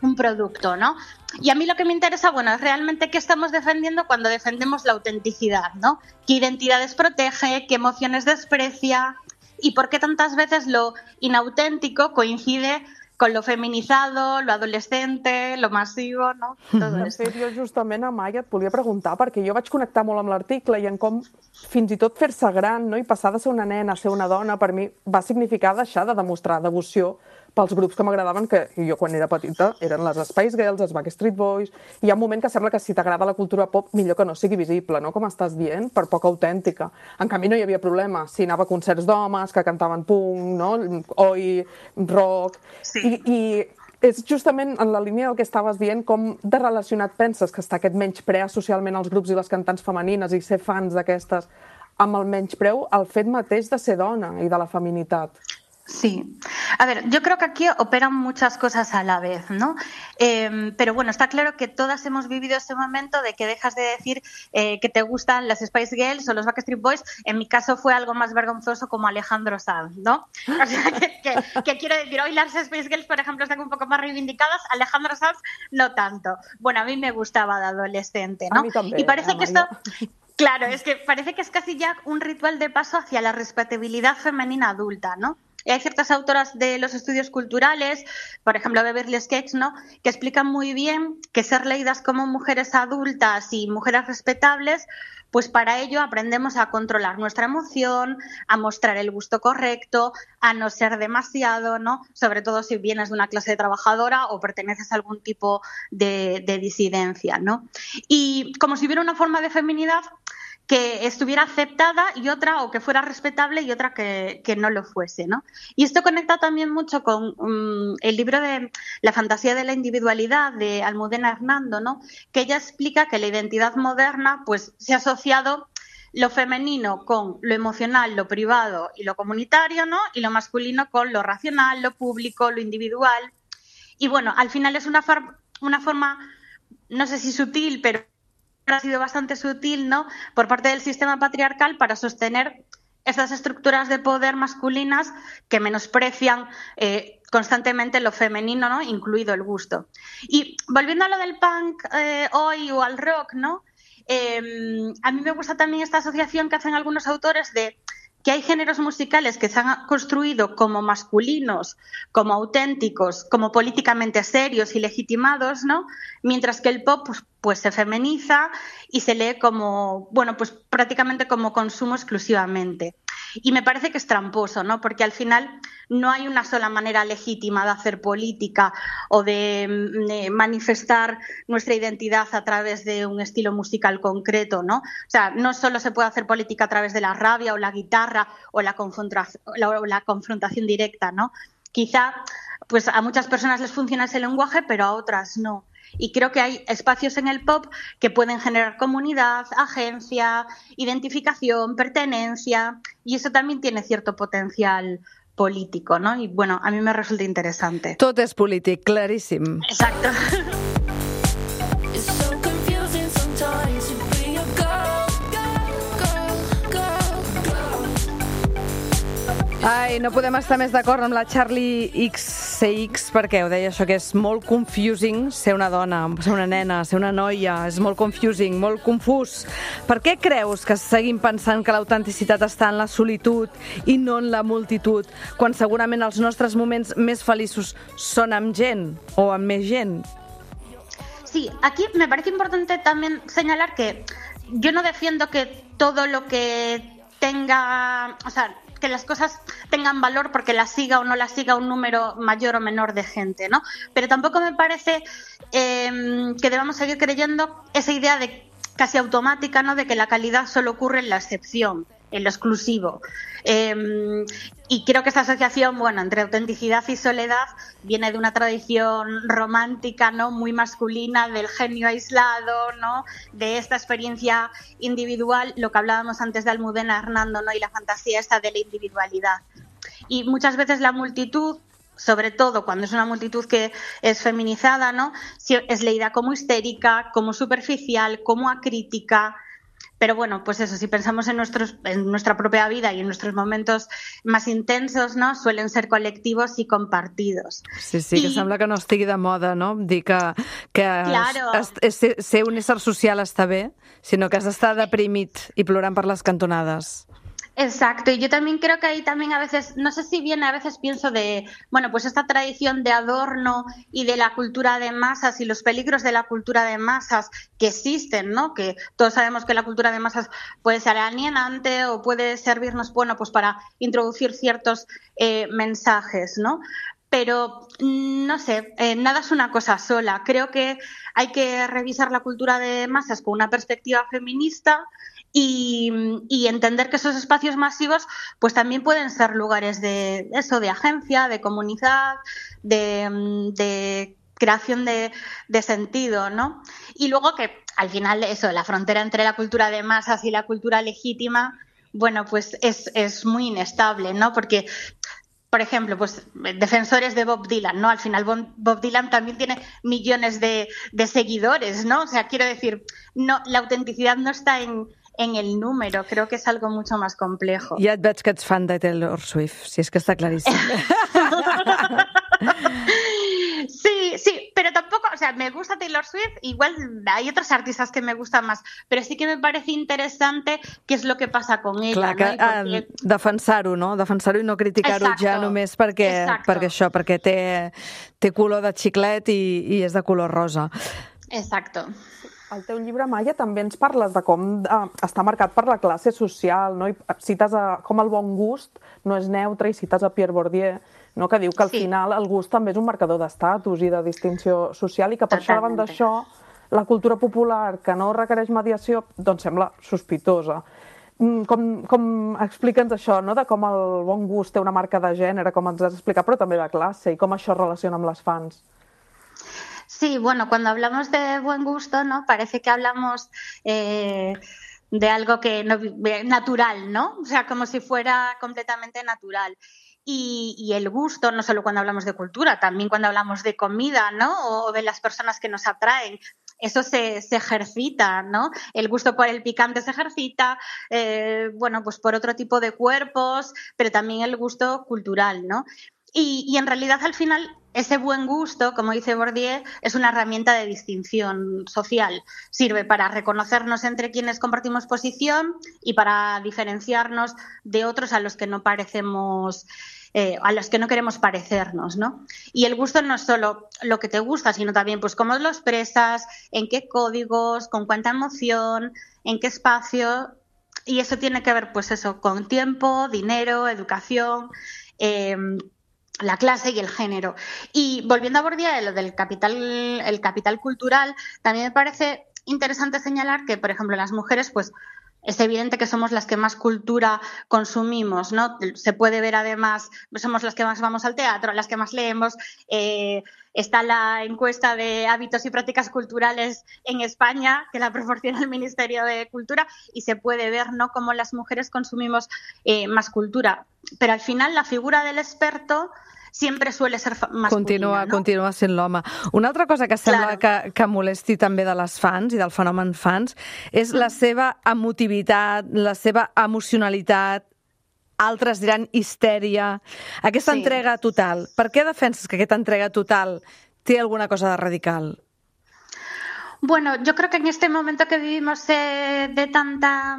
Speaker 9: un producto, ¿no? Y a mí lo que me interesa, bueno, es realmente qué estamos defendiendo cuando defendemos la autenticidad, ¿no? ¿Qué identidades protege? ¿Qué emociones desprecia? ¿Y por qué tantas veces lo inauténtico coincide con lo feminizado, lo adolescente, lo masivo, no? Todo
Speaker 8: De fet, jo justament, Amaya, et volia preguntar, perquè jo vaig connectar molt amb l'article i en com fins i tot fer-se gran, no? I passar de ser una nena a ser una dona, per mi va significar deixar de demostrar devoció pels grups que m'agradaven, que jo quan era petita eren les Spice Girls, els Backstreet Boys. Hi ha un moment que sembla que si t'agrada la cultura pop, millor que no sigui visible, no? Com estàs dient, per poc autèntica. En canvi, no hi havia problema. Si anava a concerts d'homes que cantaven punk, no? Oi, rock...
Speaker 9: Sí.
Speaker 8: I és justament en la línia del que estaves dient, com de relacionat penses que està aquest menyspreu socialment als grups i les cantants femenines i ser fans d'aquestes amb el menyspreu al fet mateix de ser dona i de la feminitat?
Speaker 9: Sí. A ver, yo creo que aquí operan muchas cosas a la vez, ¿no? Pero bueno, está claro que todas hemos vivido ese momento de que dejas de decir que te gustan las Spice Girls o los Backstreet Boys. En mi caso fue algo más vergonzoso como Alejandro Sanz, ¿no? O sea, que quiero decir, hoy las Spice Girls, por ejemplo, están un poco más reivindicadas, Alejandro Sanz no tanto. Bueno, a mí me gustaba de adolescente, ¿no?
Speaker 8: A mí también,
Speaker 9: y parece que esto...
Speaker 8: María.
Speaker 9: Claro, es que parece que es casi ya un ritual de paso hacia la respetabilidad femenina adulta, ¿no? Y hay ciertas autoras de los estudios culturales, por ejemplo Beverly Sketch, ¿no?, que explican muy bien que ser leídas como mujeres adultas y mujeres respetables, pues para ello aprendemos a controlar nuestra emoción, a mostrar el gusto correcto, a no ser demasiado, ¿no? Sobre todo si vienes de una clase trabajadora o perteneces a algún tipo de disidencia, ¿no? Y como si hubiera una forma de feminidad que estuviera aceptada y otra, o que fuera respetable y otra que no lo fuese, ¿no? Y esto conecta también mucho con el libro de La fantasía de la individualidad de Almudena Hernando, ¿no? Que ella explica que la identidad moderna pues se ha asociado lo femenino con lo emocional, lo privado y lo comunitario, ¿no? Y lo masculino con lo racional, lo público, lo individual. Y bueno, al final es una forma, no sé si sutil, pero ha sido bastante sutil, ¿no?, por parte del sistema patriarcal para sostener estas estructuras de poder masculinas que menosprecian constantemente lo femenino, ¿no?, incluido el gusto. Y volviendo a lo del punk hoy o al rock, ¿no?, a mí me gusta también esta asociación que hacen algunos autores de que hay géneros musicales que se han construido como masculinos, como auténticos, como políticamente serios y legitimados, ¿no? Mientras que el pop pues se feminiza y se lee como, bueno, pues prácticamente como consumo exclusivamente. Y me parece que es tramposo, ¿no? Porque al final no hay una sola manera legítima de hacer política o de manifestar nuestra identidad a través de un estilo musical concreto, ¿no? O sea, no solo se puede hacer política a través de la rabia o la guitarra o la confrontación directa, ¿no? Quizá pues a muchas personas les funciona ese lenguaje, pero a otras no. Y creo que hay espacios en el pop que pueden generar comunidad, agencia, identificación, pertenencia, y eso también tiene cierto potencial político, ¿no? Y bueno, a mí me resulta interesante.
Speaker 1: Tot és polític, claríssim.
Speaker 9: Exacto.
Speaker 1: Ai, no podem estar més d'acord amb la Charlie XCX perquè ho deia això, que és molt confusing ser una dona, ser una nena, ser una noia, és molt confusing, molt confús. Per què creus que seguim pensant que l'autenticitat està en la solitud i no en la multitud, quan segurament els nostres moments més feliços són amb gent o amb més gent?
Speaker 9: Sí, aquí me parece importante también señalar que yo no defiendo que todo lo que tenga, o sea, que las cosas tengan valor porque las siga o no las siga un número mayor o menor de gente, ¿no? Pero tampoco me parece que debamos seguir creyendo esa idea de casi automática, ¿no?, de que la calidad solo ocurre en la excepción, en lo exclusivo. Y creo que esta asociación, bueno, entre autenticidad y soledad viene de una tradición romántica, ¿no?, muy masculina, del genio aislado, ¿no?, de esta experiencia individual, lo que hablábamos antes de Almudena Hernando, ¿no?, y la fantasía esta de la individualidad. Y muchas veces la multitud, sobre todo cuando es una multitud que es feminizada, ¿no?, es leída como histérica, como superficial, como acrítica. Pero bueno, pues eso, si pensamos en nuestra propia vida y en nuestros momentos más intensos, ¿no?, suelen ser colectivos y compartidos.
Speaker 1: Sí, que sembla que no estigui de moda, no?, dir que
Speaker 9: claro,
Speaker 1: ser un ésser social està bé, sinó que has d'estar deprimit i plorant per les cantonades.
Speaker 9: Exacto, y yo también creo que ahí también a veces, no sé si viene, a veces pienso de, bueno, pues esta tradición de adorno y de la cultura de masas y los peligros de la cultura de masas que existen, ¿no? Que todos sabemos que la cultura de masas puede ser alienante o puede servirnos, bueno, pues para introducir ciertos mensajes, ¿no? Pero, no sé, nada es una cosa sola. Creo que hay que revisar la cultura de masas con una perspectiva feminista y entender que esos espacios masivos pues también pueden ser lugares de eso, de agencia, de comunidad, de creación de sentido, ¿no? Y luego que al final eso, la frontera entre la cultura de masas y la cultura legítima, bueno, pues es muy inestable, ¿no? Porque, por ejemplo, pues defensores de Bob Dylan, ¿no? Al final Bob Dylan también tiene millones de seguidores, ¿no? O sea, quiero decir, no, la autenticidad no está en el número, creo que es algo mucho más complejo.
Speaker 1: Ja et veig que ets fan de Taylor Swift, si és que està claríssim.
Speaker 9: Sí, pero tampoco, o sea, me gusta Taylor Swift, igual hay otros artistas que me gustan más, pero sí que me parece interesante qué es lo que pasa con ella.
Speaker 1: Clar, que,
Speaker 9: porque...
Speaker 1: defensar-ho, no? Defensar-ho i no criticar-ho ja només perquè té color de xiclet i és de color rosa.
Speaker 9: Exacto.
Speaker 8: Al teu llibre, Maia, també ens parles de com està marcat per la classe social, no? I cites com el bon gust no és neutre i cites a Pierre Bourdieu, no? Que diu que al final el gust també és un marcador d'estatus i de distinció social i que per això davant d'això la cultura popular que no requereix mediació, doncs sembla sospitosa. Explica'ns això, no? De com el bon gust té una marca de gènere, com ens has explicat, però també de classe, i com això es relaciona amb les fans.
Speaker 9: Sí, bueno, cuando hablamos de buen gusto, ¿no? Parece que hablamos de algo que no, natural, ¿no? O sea, como si fuera completamente natural. Y el gusto, no solo cuando hablamos de cultura, también cuando hablamos de comida, ¿no? O de las personas que nos atraen. Eso se ejercita, ¿no? El gusto por el picante se ejercita, bueno, pues por otro tipo de cuerpos, pero también el gusto cultural, ¿no? Y en realidad al final ese buen gusto, como dice Bourdieu, es una herramienta de distinción social. Sirve para reconocernos entre quienes compartimos posición y para diferenciarnos de otros a los que no parecemos, a los que no queremos parecernos, ¿no? Y el gusto no es solo lo que te gusta, sino también pues cómo lo expresas, en qué códigos, con cuánta emoción, en qué espacio. Y eso tiene que ver, pues eso, con tiempo, dinero, educación, la clase y el género. Y volviendo a Bourdieu, lo del el capital cultural, también me parece interesante señalar que, por ejemplo, las mujeres, pues es evidente que somos las que más cultura consumimos, ¿no? Se puede ver además, somos las que más vamos al teatro, las que más leemos. Está la encuesta de hábitos y prácticas culturales en España, que la proporciona el Ministerio de Cultura, y se puede ver, ¿no?, cómo las mujeres consumimos más cultura. Pero al final la figura del experto sempre suele ser masculina, no?
Speaker 1: Continua sent l'home. Una altra cosa que sembla que molesti també de les fans i del fenomen fans és la seva emotivitat, la seva emocionalitat, altres diran histèria, aquesta entrega total. Per què defenses que aquesta entrega total té alguna cosa de radical?
Speaker 9: Bueno, yo creo que en este momento que vivimos de tanta...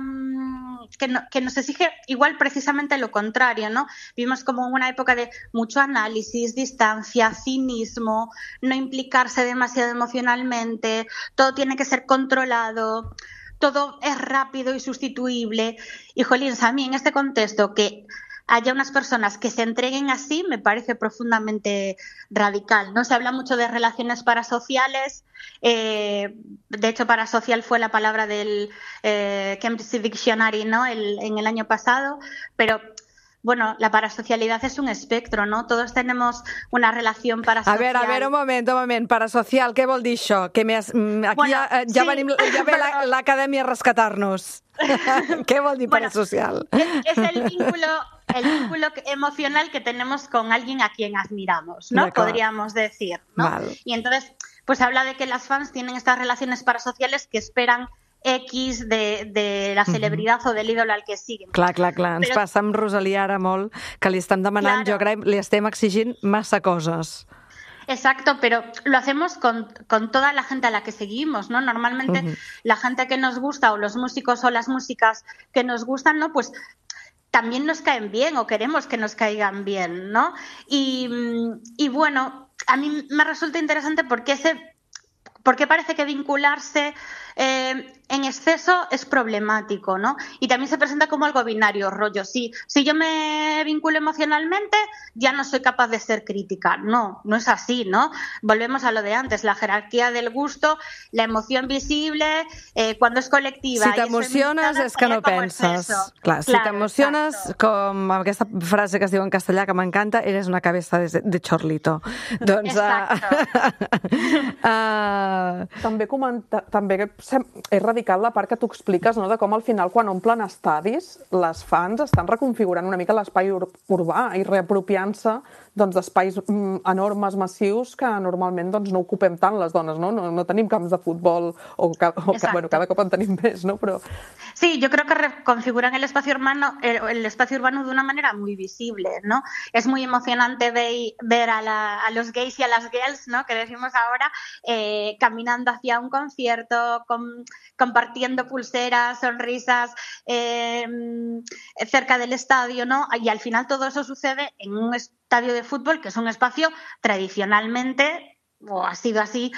Speaker 9: que nos exige igual precisamente lo contrario, ¿no? Vivimos como una época de mucho análisis, distancia, cinismo, no implicarse demasiado emocionalmente, todo tiene que ser controlado, todo es rápido y sustituible. Y, jolín, a mí en este contexto que haya unas personas que se entreguen así me parece profundamente radical, ¿no? Se habla mucho de relaciones parasociales, de hecho parasocial fue la palabra del Cambridge Dictionary, ¿no? En el año pasado, pero bueno, la parasocialidad es un espectro, ¿no? Todos tenemos una relación parasocial.
Speaker 1: A ver, un moment. Parasocial, què vol dir això? Que aquí bueno, ja ve l'acadèmia a rescatar-nos. Què vol dir parasocial?
Speaker 9: Es el vínculo emocional que tenemos con alguien a quien admiramos, ¿no? Podríamos decir, ¿no? Vale. Y entonces, pues habla de que las fans tienen estas relaciones parasociales que esperan X de la celebridad o del ídolo al que siguen.
Speaker 1: Clar. Ens passa amb Rosalia ara molt, que li estem demanant, jo crec, li estem exigint massa coses.
Speaker 9: Exacto, pero lo hacemos con toda la gente a la que seguimos, ¿no? Normalmente la gente que nos gusta o los músicos o las músicas que nos gustan, ¿no? Pues también nos caen bien o queremos que nos caigan bien, ¿no? Y bueno, a mí me resulta interesante porque parece que vincularse en exceso es problemático, ¿no? Y también se presenta como algo binario, rollo. Si yo me vinculo emocionalmente, ya no soy capaz de ser crítica. No es así, ¿no? Volvemos a lo de antes, la jerarquía del gusto, la emoción visible, cuando es colectiva.
Speaker 1: Si t'emociones és que no penses. Clar, si t'emociones, com aquesta frase que es diu en castellà que m'encanta, eres una cabeza de chorlito. Doncs...
Speaker 8: També és radical la part que tu expliques, no?, de com al final, quan omplen estadis, les fans estan reconfigurant una mica l'espai urbà i reapropiant-se d'espais enormes, massius, que normalment no ocupem tant les dones, no? No tenim camps de futbol, bueno, cada cop en tenim més, ¿no? Pero...
Speaker 9: Sí, yo creo que reconfiguran el espacio urbano de una manera muy visible, ¿no? Es muy emocionante ver a los gays y a las girls, ¿no?, que decimos ahora, caminando hacia un concierto, compartiendo pulseras, sonrisas cerca del estadio, ¿no? Y al final todo eso sucede en un estadio de fútbol, que es un espacio tradicionalmente, o ha sido así,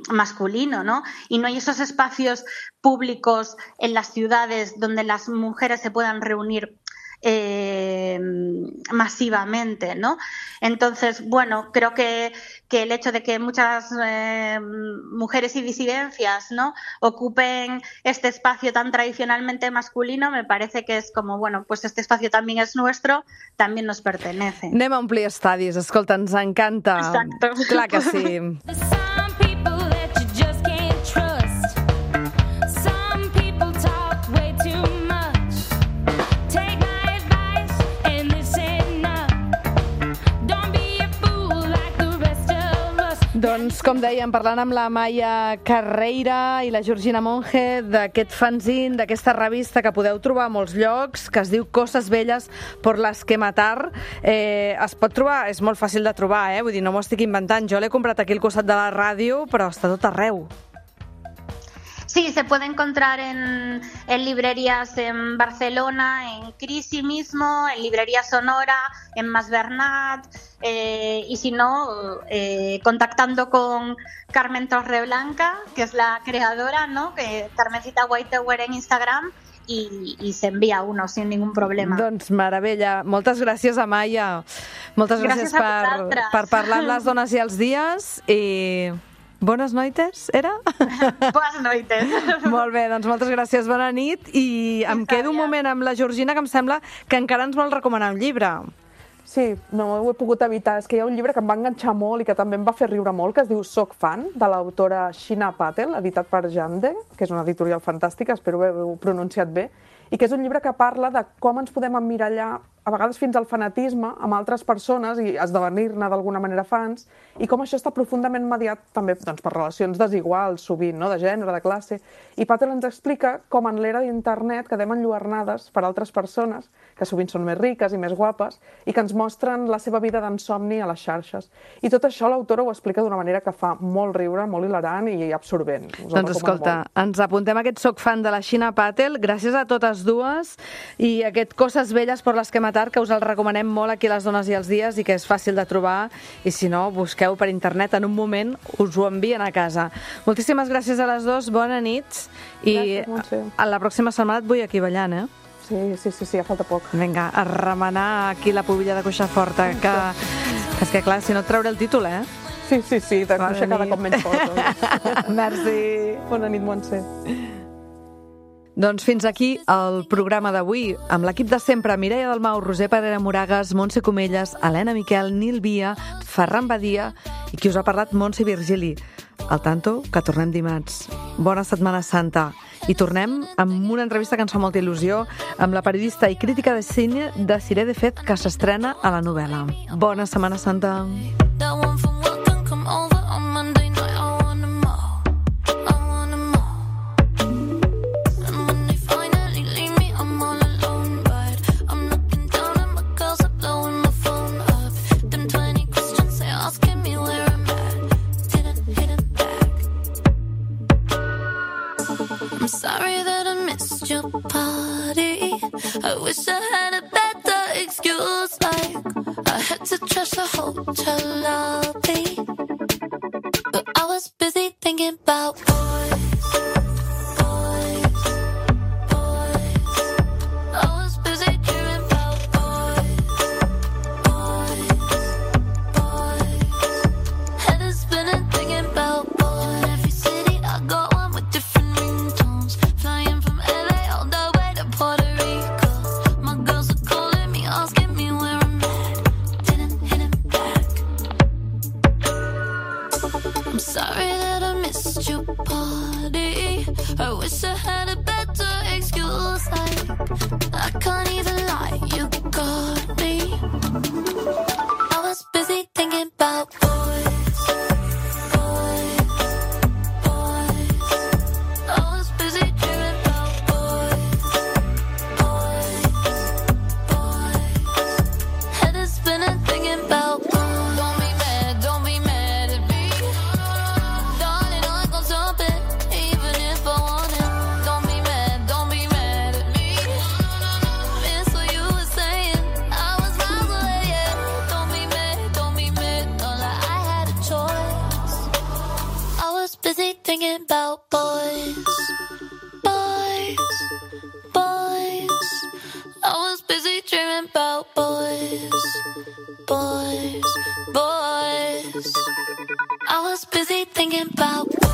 Speaker 9: masculino, ¿no? Y no hay esos espacios públicos en las ciudades donde las mujeres se puedan reunir masivamente, ¿no? Entonces, bueno, creo que el hecho de que muchas mujeres y disidencias, ¿no?, ocupen este espacio tan tradicionalmente masculino, me parece que es como, bueno, pues este espacio también es nuestro, también nos pertenece.
Speaker 1: Anem a omplir estadis, escolta, ens encanta.
Speaker 9: Exacto.
Speaker 1: Clar que sí. Doncs, com dèiem, parlant amb la Maia Carreira i la Georgina Monge d'aquest fanzine, d'aquesta revista que podeu trobar a molts llocs, que es diu Coses Velles por las que matar, es pot trobar, és molt fàcil de trobar, vull dir, no m'ho estic inventant. Jo l'he comprat aquí al costat de la ràdio, però està tot arreu.
Speaker 9: Sí, se puede encontrar en librerías en Barcelona, en Crisi mismo, en Librería Sonora, en Mas Bernat, y si no, contactando con Carmen Torreblanca, que es la creadora, ¿no?, que Carmencita Whitetower en Instagram, i s'envia uno sin ningún problema.
Speaker 1: Doncs meravella. Moltes gràcies, Amaya. Moltes gràcies per parlar amb les dones i els dies i... Bones noites, era?
Speaker 9: Bones noites.
Speaker 1: Molt bé, doncs moltes gràcies, bona nit. I em quedo un moment amb la Georgina, que em sembla que encara ens vol recomanar un llibre.
Speaker 8: Sí, no ho he pogut evitar. És que hi ha un llibre que em va enganxar molt i que també em va fer riure molt, que es diu Soc fan, de l'autora Sheena Patel, editat per Jande, que és una editorial fantàstica, espero haver-ho pronunciat bé, i que és un llibre que parla de com ens podem emmirallar, a vegades fins al fanatisme, amb altres persones i esdevenir-ne d'alguna manera fans, i com això està profundament mediat també doncs, per relacions desiguals, sovint, no?, de gènere, de classe. I Patel ens explica com en l'era d'internet quedem enlluernades per altres persones, que sovint són més riques i més guapes, i que ens mostren la seva vida d'ensomni a les xarxes. I tot això l'autora ho explica d'una manera que fa molt riure, molt hilarant i absorbent.
Speaker 1: Doncs escolta, ens apuntem aquest Soc fan de la Sheena Patel, gràcies a totes dues, i aquest Coses Velles por las que matar, que us el recomanem molt aquí a les dones i els dies i que és fàcil de trobar, i si no, busqueu per internet, en un moment us ho envien a casa. Moltíssimes gràcies a les dues, bona nit, i a la pròxima setmana et vull aquí ballant,
Speaker 8: Sí, ja falta poc.
Speaker 1: Vinga, a remenar aquí la pubilla de cuixa forta, que és que clar, si no et trauré el títol,
Speaker 8: Sí, de cuixa cada cop menys forta.
Speaker 1: Merci.
Speaker 8: Bona nit, Montse.
Speaker 1: Doncs fins aquí el programa d'avui, amb l'equip de sempre, Mireia Dalmau, Roser Parera Moragas, Montse Comelles, Helena Miquel, Nil Via, Ferran Badia i qui us ha parlat, Montse Virgili. Al tanto, que tornem dimarts. Bona Setmana Santa. I tornem amb una entrevista que ens fa molta il·lusió amb la periodista i crítica de cine de Siré de Fet, que s'estrena a la novel·la. Bona Setmana Santa.
Speaker 7: Sorry that I missed your party. I wish I had a better excuse, like I had to trash the hotel lobby, but I was busy thinking about boys. I was busy dreaming about boys. Head is spinning thinking about boys. Every city I go on with different ringtones, flying from LA all the way to Puerto Rico. My girls are calling me, asking me where I'm at. Didn't hit him back. I'm sorry that I missed your party. I wish I had a better excuse, like I can't even lie, you got me. I was busy thinking about boys. I was busy dreaming about boys. Head is spinning thinking about boys. Don't be mad at me. Darling, I can stop it, even if I want it. Don't be mad at me. Miss what you were saying, I was miles away, yeah. Don't be mad, not like I had a choice. I was busy thinking about boys. I was busy dreaming about boys, boys, boys. I was busy thinking about